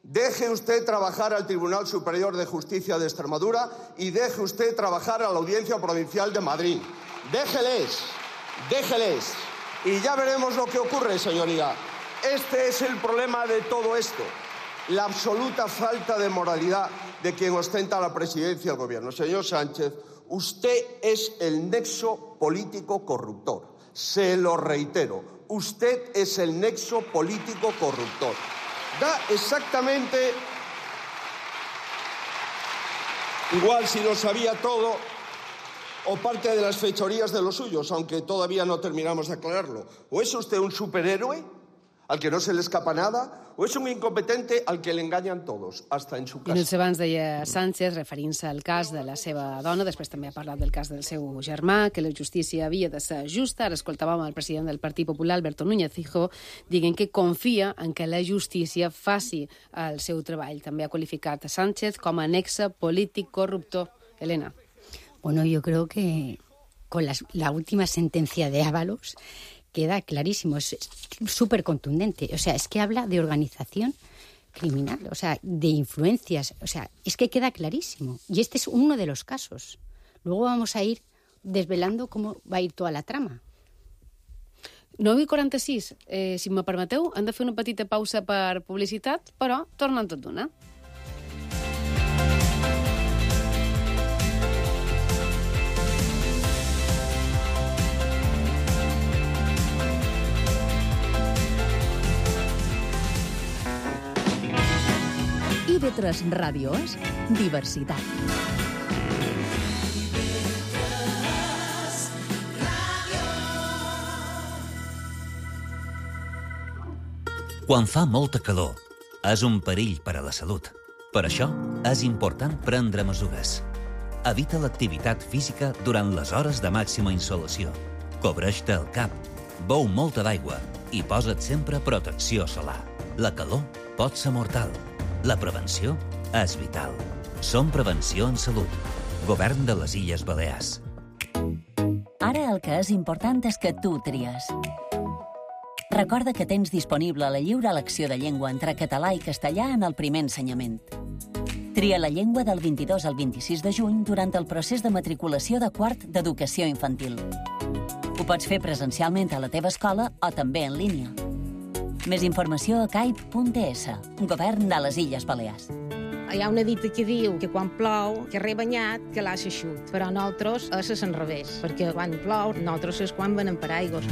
Deje usted trabajar al Tribunal Superior de Justicia de Extremadura y deje usted trabajar a la Audiencia Provincial de Madrid. Déjeles, déjeles. Y ya veremos lo que ocurre, señoría. Este es el problema de todo esto. La absoluta falta de moralidad de quien ostenta la presidencia del gobierno. Señor Sánchez, usted es el nexo político corruptor. Se lo reitero, usted es el nexo político corruptor. Da exactamente igual si lo sabía todo o parte de las fechorías de los suyos, aunque todavía no terminamos de aclararlo. ¿O es usted un superhéroe al que no se le escapa nada, o és un incompetente al que le engañan todos, hasta en su casa. Minuts abans deia Sánchez, referint-se al cas de la seva dona, després també ha parlat del cas del seu germà, que la justícia havia de ser justa. Ara escoltàvem el president del Partit Popular, Alberto Núñez Fijo, dient que confia en que la justícia faci el seu treball. També ha qualificat a Sánchez com a nexe polític corruptor. Elena. Bueno, yo creo que con las, la última sentencia de Ábalos queda clarísimo, es súper contundente. O sea, es que habla de organización criminal, o sea, de influencias. O sea, es que queda clarísimo. Y este es uno de los casos. Luego vamos a ir desvelando cómo va a ir toda la trama. nou i quaranta-sis. Eh, si me permeteu, hem de fer una petita pausa per publicitat, però tornen tot d'una. I V tres Ràdio és diversitat. Quan fa molta calor, és un perill per a la salut. Per això, és important prendre mesures. Evita l'activitat física durant les hores de màxima insolació. Cobreix-te el cap, beu molta d'aigua i posa't sempre protecció solar. La calor pot ser mortal. La prevenció és vital. Som Prevenció en Salut. Govern de les Illes Balears. Ara el que és important és que tu tries. Recorda que tens disponible la lliure elecció de llengua entre català i castellà en el primer ensenyament. Tria la llengua del vint-i-dos al vint-i-sis de juny durant el procés de matriculació de quart d'educació infantil. Ho pots fer presencialment a la teva escola o també en línia. Més informació a caip punt es, Govern de les Illes Balears. Hi ha una dita que diu que quan plou, que rebanyat, que l'ha xut. Però nosaltres és al revés, perquè quan plou, nosaltres és quan venen per aigües.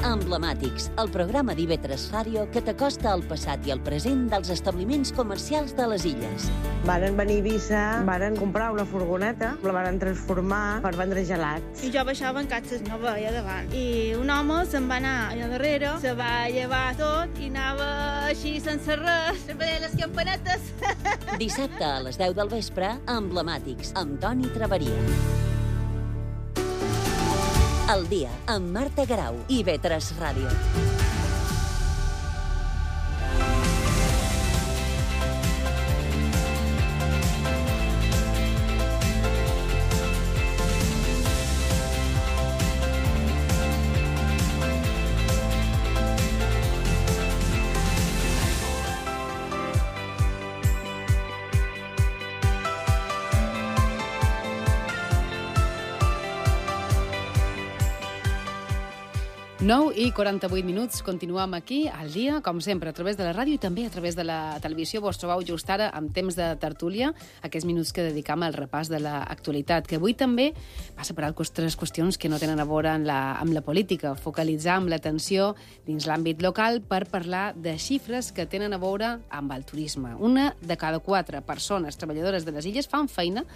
Emblemàtics, el programa d'I V tres Ràdio que t'acosta al passat i al present dels establiments comercials de les illes. Varen venir a Eivissa, varen comprar una furgoneta, la varen transformar per vendre gelats. I jo baixava en catxes, no veia davant. I un home se'n va anar allà darrere, se va llevar tot i anava així sense res, sempre deia les campanetes. Dissabte a les deu del vespre, Emblemàtics, amb Toni Traveria. El dia, amb Marta Garau, I V tres Ràdio. nou i quaranta-vuit minuts, continuem aquí al dia, com sempre, a través de la ràdio i també a través de la televisió. Vos trobeu just ara amb temps de tertúlia, aquests minuts que dedicam al repàs de l'actualitat, que avui també passa per altres qüestions que no tenen a veure amb la, amb la política, focalitzar amb l'atenció dins l'àmbit local per parlar de xifres que tenen a veure amb el turisme. Una de cada quatre persones treballadores de les illes fan feina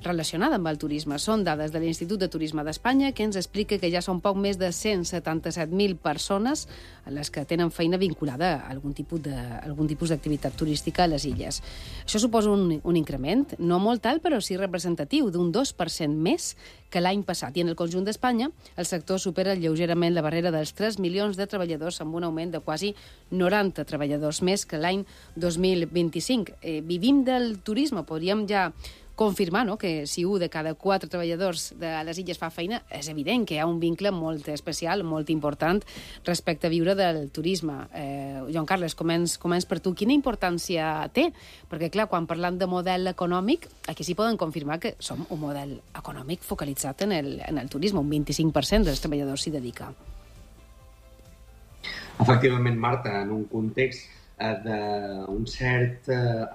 relacionada amb el turisme. Són dades de l'Institut de Turisme d'Espanya que ens explica que ja són poc més de cent setanta-set mil persones a les que tenen feina vinculada a algun tipus de, algun tipus d'activitat turística a les illes. Això suposa un, un increment, no molt alt, però sí representatiu, d'un dos per cent més que l'any passat. I en el conjunt d'Espanya, el sector supera lleugerament la barrera dels tres milions de treballadors amb un augment de quasi noranta treballadors més que l'any dos mil vint-i-cinc. Eh, vivim del turisme, podríem ja confirmar, no?, que si un de cada quatre treballadors de les illes fa feina, és evident que hi ha un vincle molt especial, molt important, respecte a viure del turisme. Eh, Joan Carles, començ, començ per tu. Quina importància té? Perquè, clar, quan parlam de model econòmic, aquí sí poden confirmar que som un model econòmic focalitzat en el, en el turisme. Un vint-i-cinc per cent dels treballadors s'hi dedica. Efectivament, Marta, en un context d'un cert eh,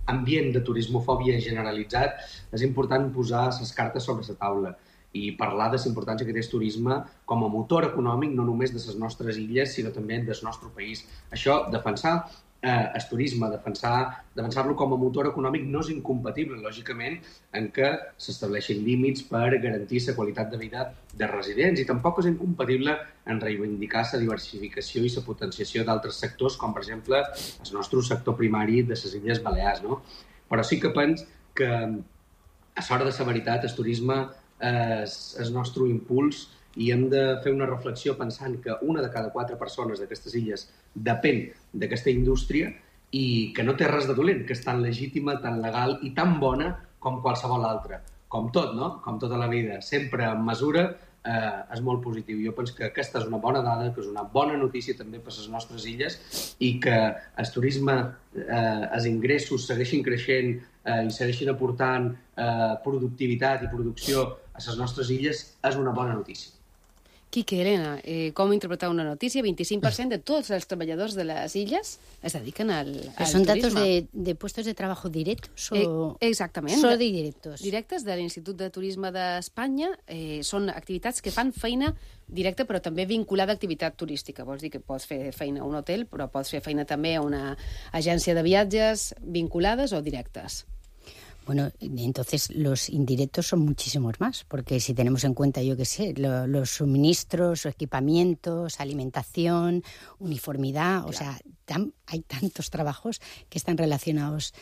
ambient de turismofòbia generalitzat, és important posar les cartes sobre la taula i parlar de la importància que té el turisme com a motor econòmic no només de les nostres illes, sinó també del nostre país. Això, defensar eh, el turisme, defensar, defensar-lo com a motor econòmic no és incompatible, lògicament, en què s'estableixin límits per garantir la qualitat de vida de residents i tampoc és incompatible en reivindicar la diversificació i la potenciació d'altres sectors, com per exemple el nostre sector primari de les Illes Balears, no? Però sí que penso que, a l'hora de la veritat, el turisme és el nostre impuls i hem de fer una reflexió pensant que una de cada quatre persones d'aquestes illes depèn d'aquesta indústria i que no té res de dolent, que és tan legítima, tan legal i tan bona com qualsevol altra. Com tot, no? Com tota la vida. Sempre en mesura eh, és molt positiu. Jo penso que aquesta és una bona dada, que és una bona notícia també per a les nostres illes i que el turisme, eh, els ingressos segueixin creixent eh, i segueixin aportant eh, productivitat i producció a les nostres illes és una bona notícia. Quique, Elena, eh, com interpretar una notícia? vint-i-cinc per cent de tots els treballadors de les illes es dediquen al, al ¿Son turisme. datos de, de puestos de trabajo directos o...? Eh, exactament. Solo directos. Directes de l'Institut de Turisme d'Espanya. Eh, són activitats que fan feina directa, però també vinculada a activitat turística. Vols dir que pots fer feina a un hotel, però pots fer feina també a una agència de viatges vinculades o directes. Bueno, entonces los indirectos son muchísimos más, porque si tenemos en cuenta, yo qué sé, lo, los suministros, equipamientos, alimentación, uniformidad, claro. O sea, tan, hay tantos trabajos que están relacionados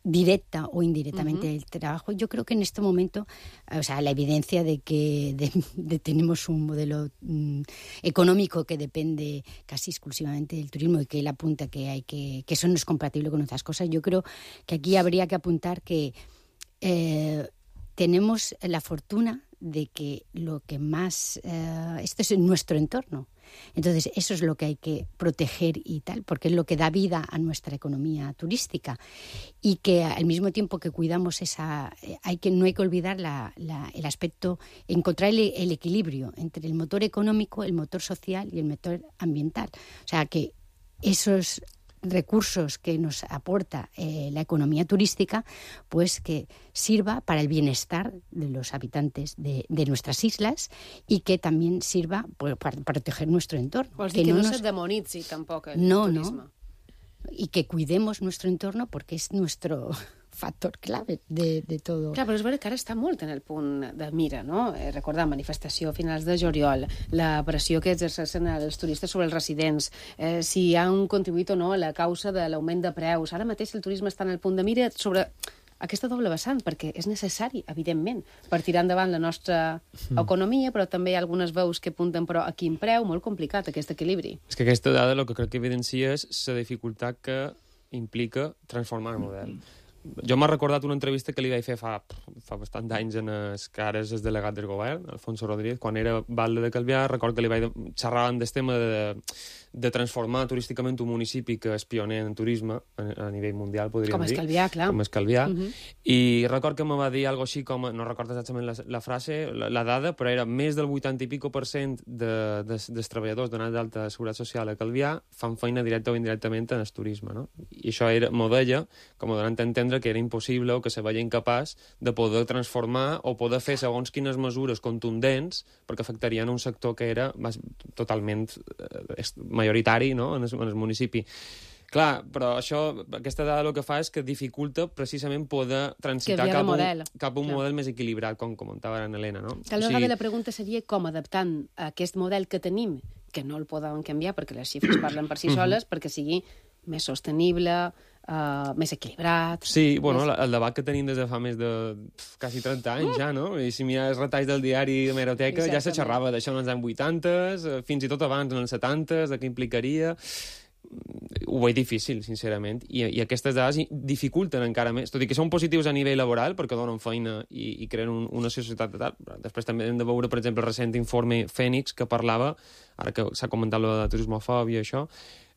directa o indirectamente uh-huh. el trabajo. Yo creo que en este momento, o sea, la evidencia de que de, de tenemos un modelo mm, económico que depende casi exclusivamente del turismo y que él apunta que hay que que eso no es compatible con otras cosas. Yo creo que aquí habría que apuntar que eh, tenemos la fortuna de que lo que más eh, esto es en nuestro entorno. Entonces, eso es lo que hay que proteger y tal, porque es lo que da vida a nuestra economía turística. Y que al mismo tiempo que cuidamos esa... hay que no hay que olvidar la, la, el aspecto, encontrar el, el equilibrio entre el motor económico, el motor social y el motor ambiental. O sea, que esos recursos que nos aporta eh, la economía turística, pues que sirva para el bienestar de los habitantes de, de nuestras islas y que también sirva pues, para proteger nuestro entorno. Vols dir que, que no, no nos... se demonitzi tampoc el no, turisme. No, y que cuidemos nuestro entorno porque es nuestro factor clave de, de todo. Clar, però és veritat que ara està molt en el punt de mira, no? Eh, recordar, manifestació a finals de juliol, la pressió que exerceixen els turistes sobre els residents, eh, si han contribuït o no a la causa de l'augment de preus. Ara mateix el turisme està en el punt de mira sobre aquesta doble vessant, perquè és necessari, evidentment, per tirar endavant la nostra economia, però també hi ha algunes veus que apunten però a quin preu, molt complicat aquest equilibri. És que aquesta dada el que crec que evidencia és la dificultat que implica transformar el model. Jo m'ha recordat una entrevista que li vaig fer fa, fa bastant d'anys en el que ara és el delegat del govern, Alfonso Rodríguez, quan era batlle de Calvià. Record que li vaig xerrar del tema de, de transformar turísticament un municipi que és pioner en turisme a, a nivell mundial, podríem com dir. Com és Calvià, clar. Com és Calvià. Uh -huh. I record que me va dir alguna així com, no recordo exactament la, la frase, la, la dada, però era més del vuitanta i pico per cent de, de, dels treballadors donats d'alta seguretat social a Calvià fan feina directa o indirectament en el turisme, no? I això era, m'ho deia, com ho donant a entendre que era impossible o que se veia incapaç de poder transformar o poder fer segons quines mesures contundents perquè afectarien un sector que era totalment eh, majoritari, no?, en el, en el municipi. Clar, però això, aquesta dada el que fa és que dificulta precisament poder transitar cap, un, cap a un Clar. model més equilibrat, com comentava ara en Helena, no? Tal vegada o sigui... la pregunta seria com adaptant aquest model que tenim, que no el podem canviar perquè les xifres parlen per si soles, perquè sigui més sostenible, uh, més equilibrat... Sí, bueno, més... el debat que tenim des de fa més de pf, quasi trenta anys, ja, no? I si mires retalls del diari de Meroteca, ja se xerrava d'això en els anys vuitanta, fins i tot abans, en els setanta, de què implicaria... ho veig difícil, sincerament, i, i aquestes dades dificulten encara més, tot i que són positius a nivell laboral, perquè donen feina i, i creen un, una societat de tal. Després també hem de veure, per exemple, el recent informe Fènix, que parlava, ara que s'ha comentat la de turismofòbia i això,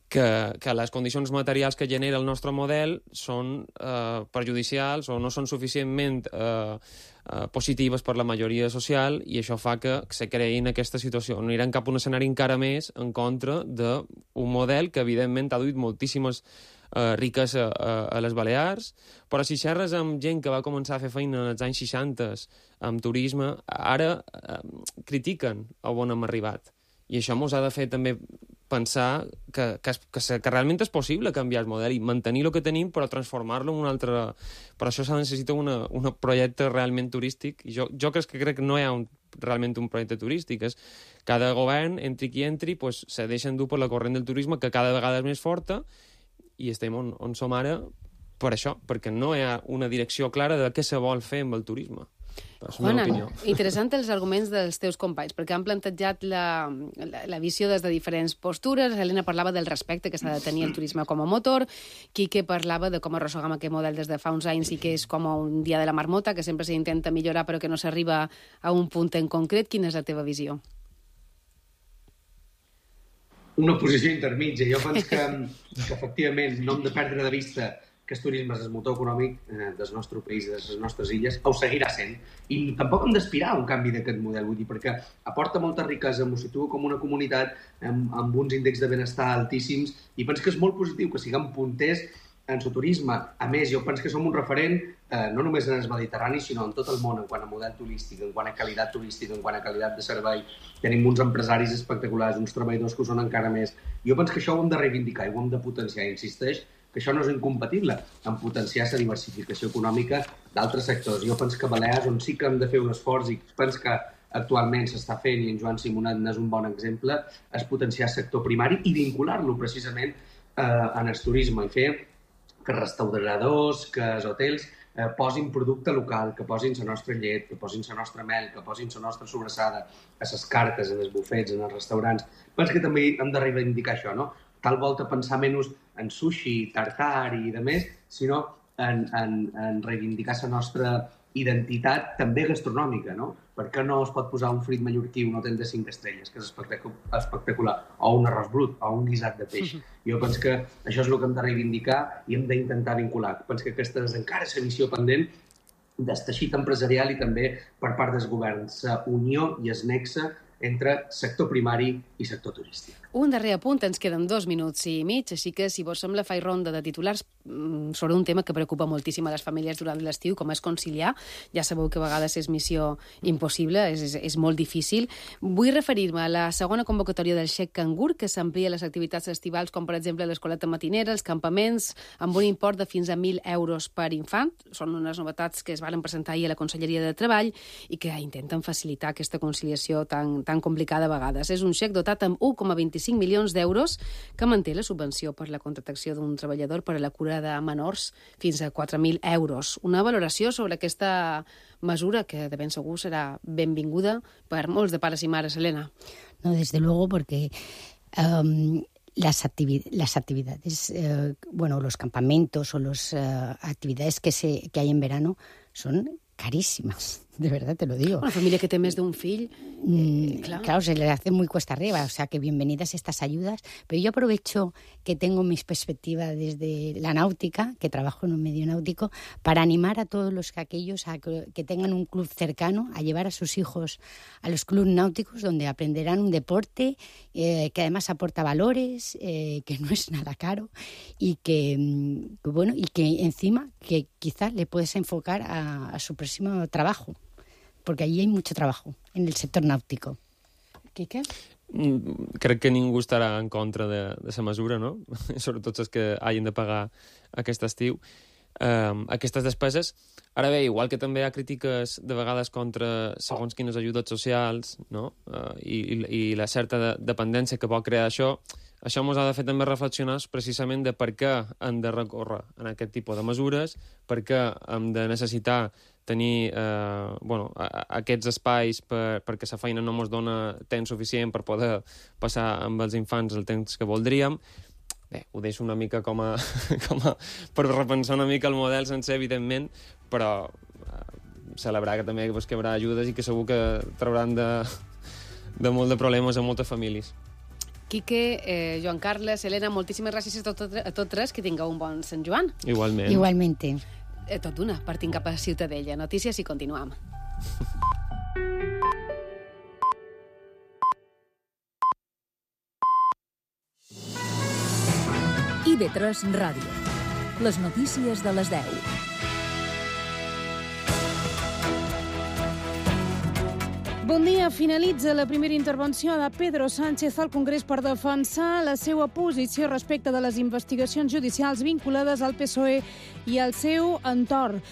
que, que les condicions materials que genera el nostre model són eh, perjudicials o no són suficientment eh, eh, positives per la majoria social, i això fa que se creïn aquesta situació. No aniran cap a un escenari encara més en contra d'un model que, evidentment, ha duit moltíssimes eh, riques a, a, a les Balears, però si xerres amb gent que va començar a fer feina en els anys seixanta amb turisme, ara eh, critiquen a on hem arribat. I això ens ha de fer també pensar que, que, que, que realment és possible canviar el model i mantenir el que tenim, però transformar-lo en un altre... Per això s'ha necessita una, un projecte realment turístic. I jo, jo crec que crec que no hi ha un, realment un projecte turístic. És cada govern, entri qui entri, pues, se deixen dur per la corrent del turisme, que cada vegada és més forta, i estem on, on som ara per això, perquè no hi ha una direcció clara de què se vol fer amb el turisme. Juana, interessant els arguments dels teus companys, perquè han plantejat la, la, la visió des de diferents postures. Helena parlava del respecte que s'ha de tenir el turisme com a motor, Quique parlava de com arrossegam aquest model des de fa uns anys i que és com un dia de la marmota, que sempre s'intenta millorar però que no s'arriba a un punt en concret. Quina és la teva visió? Una posició intermitja. Jo penso que, que efectivament no hem de perdre de vista que el turisme és el motor econòmic eh, del nostre país, de les nostres illes, ho seguirà sent. I tampoc hem d'aspirar a un canvi d'aquest model, vull dir, perquè aporta molta riquesa, ens situa com una comunitat amb, amb uns índexs de benestar altíssims, i penso que és molt positiu que siguem punters en el turisme. A més, jo penso que som un referent eh, no només en el Mediterrani, sinó en tot el món, en quant a model turístic, en quant a qualitat turística, en quant a qualitat de servei. Tenim uns empresaris espectaculars, uns treballadors que ho són encara més. Jo penso que això ho hem de reivindicar i ho hem de potenciar, insisteix, que això no és incompatible amb potenciar la diversificació econòmica d'altres sectors. Jo penso que Balears, on sí que hem de fer un esforç, i penso que actualment s'està fent, i en Joan Simonet n'és un bon exemple, és potenciar el sector primari i vincular-lo precisament eh, en el turisme, i fer que restauradors, que els hotels eh, posin producte local, que posin la nostra llet, que posin la nostra mel, que posin la nostra sobrassada a les cartes, en els bufets, en els restaurants. Penso que també hem de reivindicar això, no? Tal volta pensar menys en sushi, tartar i de més, sinó en, en, en reivindicar la nostra identitat també gastronòmica, no? Per què no es pot posar un frit mallorquí, un hotel de cinc estrelles, que és espectacular, o un arròs brut, o un guisat de peix. Jo penso que això és el que hem de reivindicar i hem d'intentar vincular. Penso que aquesta és encara la missió pendent del teixit empresarial i també per part dels governs, la unió i el nexe entre sector primari i sector turístic. Un darrer apunt, ens queden dos minuts i mig, així que, si vos sembla, faig ronda de titulars sobre un tema que preocupa moltíssim a les famílies durant l'estiu, com és conciliar. Ja sabeu que a vegades és missió impossible, és, és, és molt difícil. Vull referir-me a la segona convocatòria del Xec Cangur, que s'amplia les activitats estivals, com per exemple l'escoleta matinera, els campaments, amb un import de fins a mil euros per infant. Són unes novetats que es van presentar ahir a la Conselleria de Treball i que intenten facilitar aquesta conciliació tan, tan complicada a vegades. És un xec dotat amb un coma vint-i-cinc milions d'euros que manté la subvenció per la contractació d'un treballador per a la cura de menors fins a quatre mil euros. Una valoració sobre aquesta mesura que de ben segur serà benvinguda per molts de pares i mares, Helena. No, desde luego, porque um, las, activi las actividades, eh, bueno, los campamentos o las uh, actividades que, se que hay en verano son carísimas. De verdad te lo digo. Una familia que té més d'un fill, eh, claro. claro, se le hace muy cuesta arriba, o sea que bienvenidas estas ayudas, pero yo aprovecho que tengo mis perspectivas desde la náutica, que trabajo en un medio náutico, para animar a todos los que aquellos a que, que tengan un club cercano, a llevar a sus hijos a los clubes náuticos, donde aprenderán un deporte eh, que además aporta valores, eh, que no es nada caro y que, que bueno, y que encima que quizás le puedes enfocar a, a su próximo trabajo, porque allí hay mucho trabajo en el sector náutico. Quique? Mm, crec que ningú estarà en contra de, de la mesura, no? Sobretot els que hagin de pagar aquest estiu um, aquestes despeses. Ara bé, igual que també hi ha crítiques de vegades contra segons quines ajudes socials, no? Uh, i, i, i la certa de, dependència que pot crear això, això ens ha de fer també reflexionar precisament de per què hem de recórrer en aquest tipus de mesures, per què hem de necessitar tenir eh, bueno, a, a aquests espais per, perquè la feina no ens dona temps suficient per poder passar amb els infants el temps que voldríem. bé, ho deixo una mica com a, com a... per repensar una mica el model sencer, evidentment, però eh, celebrar que també pues, que hi haurà ajudes i que segur que trauran de, de molt de problemes a moltes famílies. Quique, eh, Joan Carles, Helena, moltíssimes gràcies a, tot, a tots tres, que tingueu un bon Sant Joan. Igualment. Igualmente. Eh, tot d'una, partim cap a Ciutadella. Notícies i continuem. I V tres Ràdio. Les notícies de les deu. Bon dia. Finalitza la primera intervenció de Pedro Sánchez al Congrés per defensar la seva posició respecte de les investigacions judicials vinculades al P S O E i al seu entorn.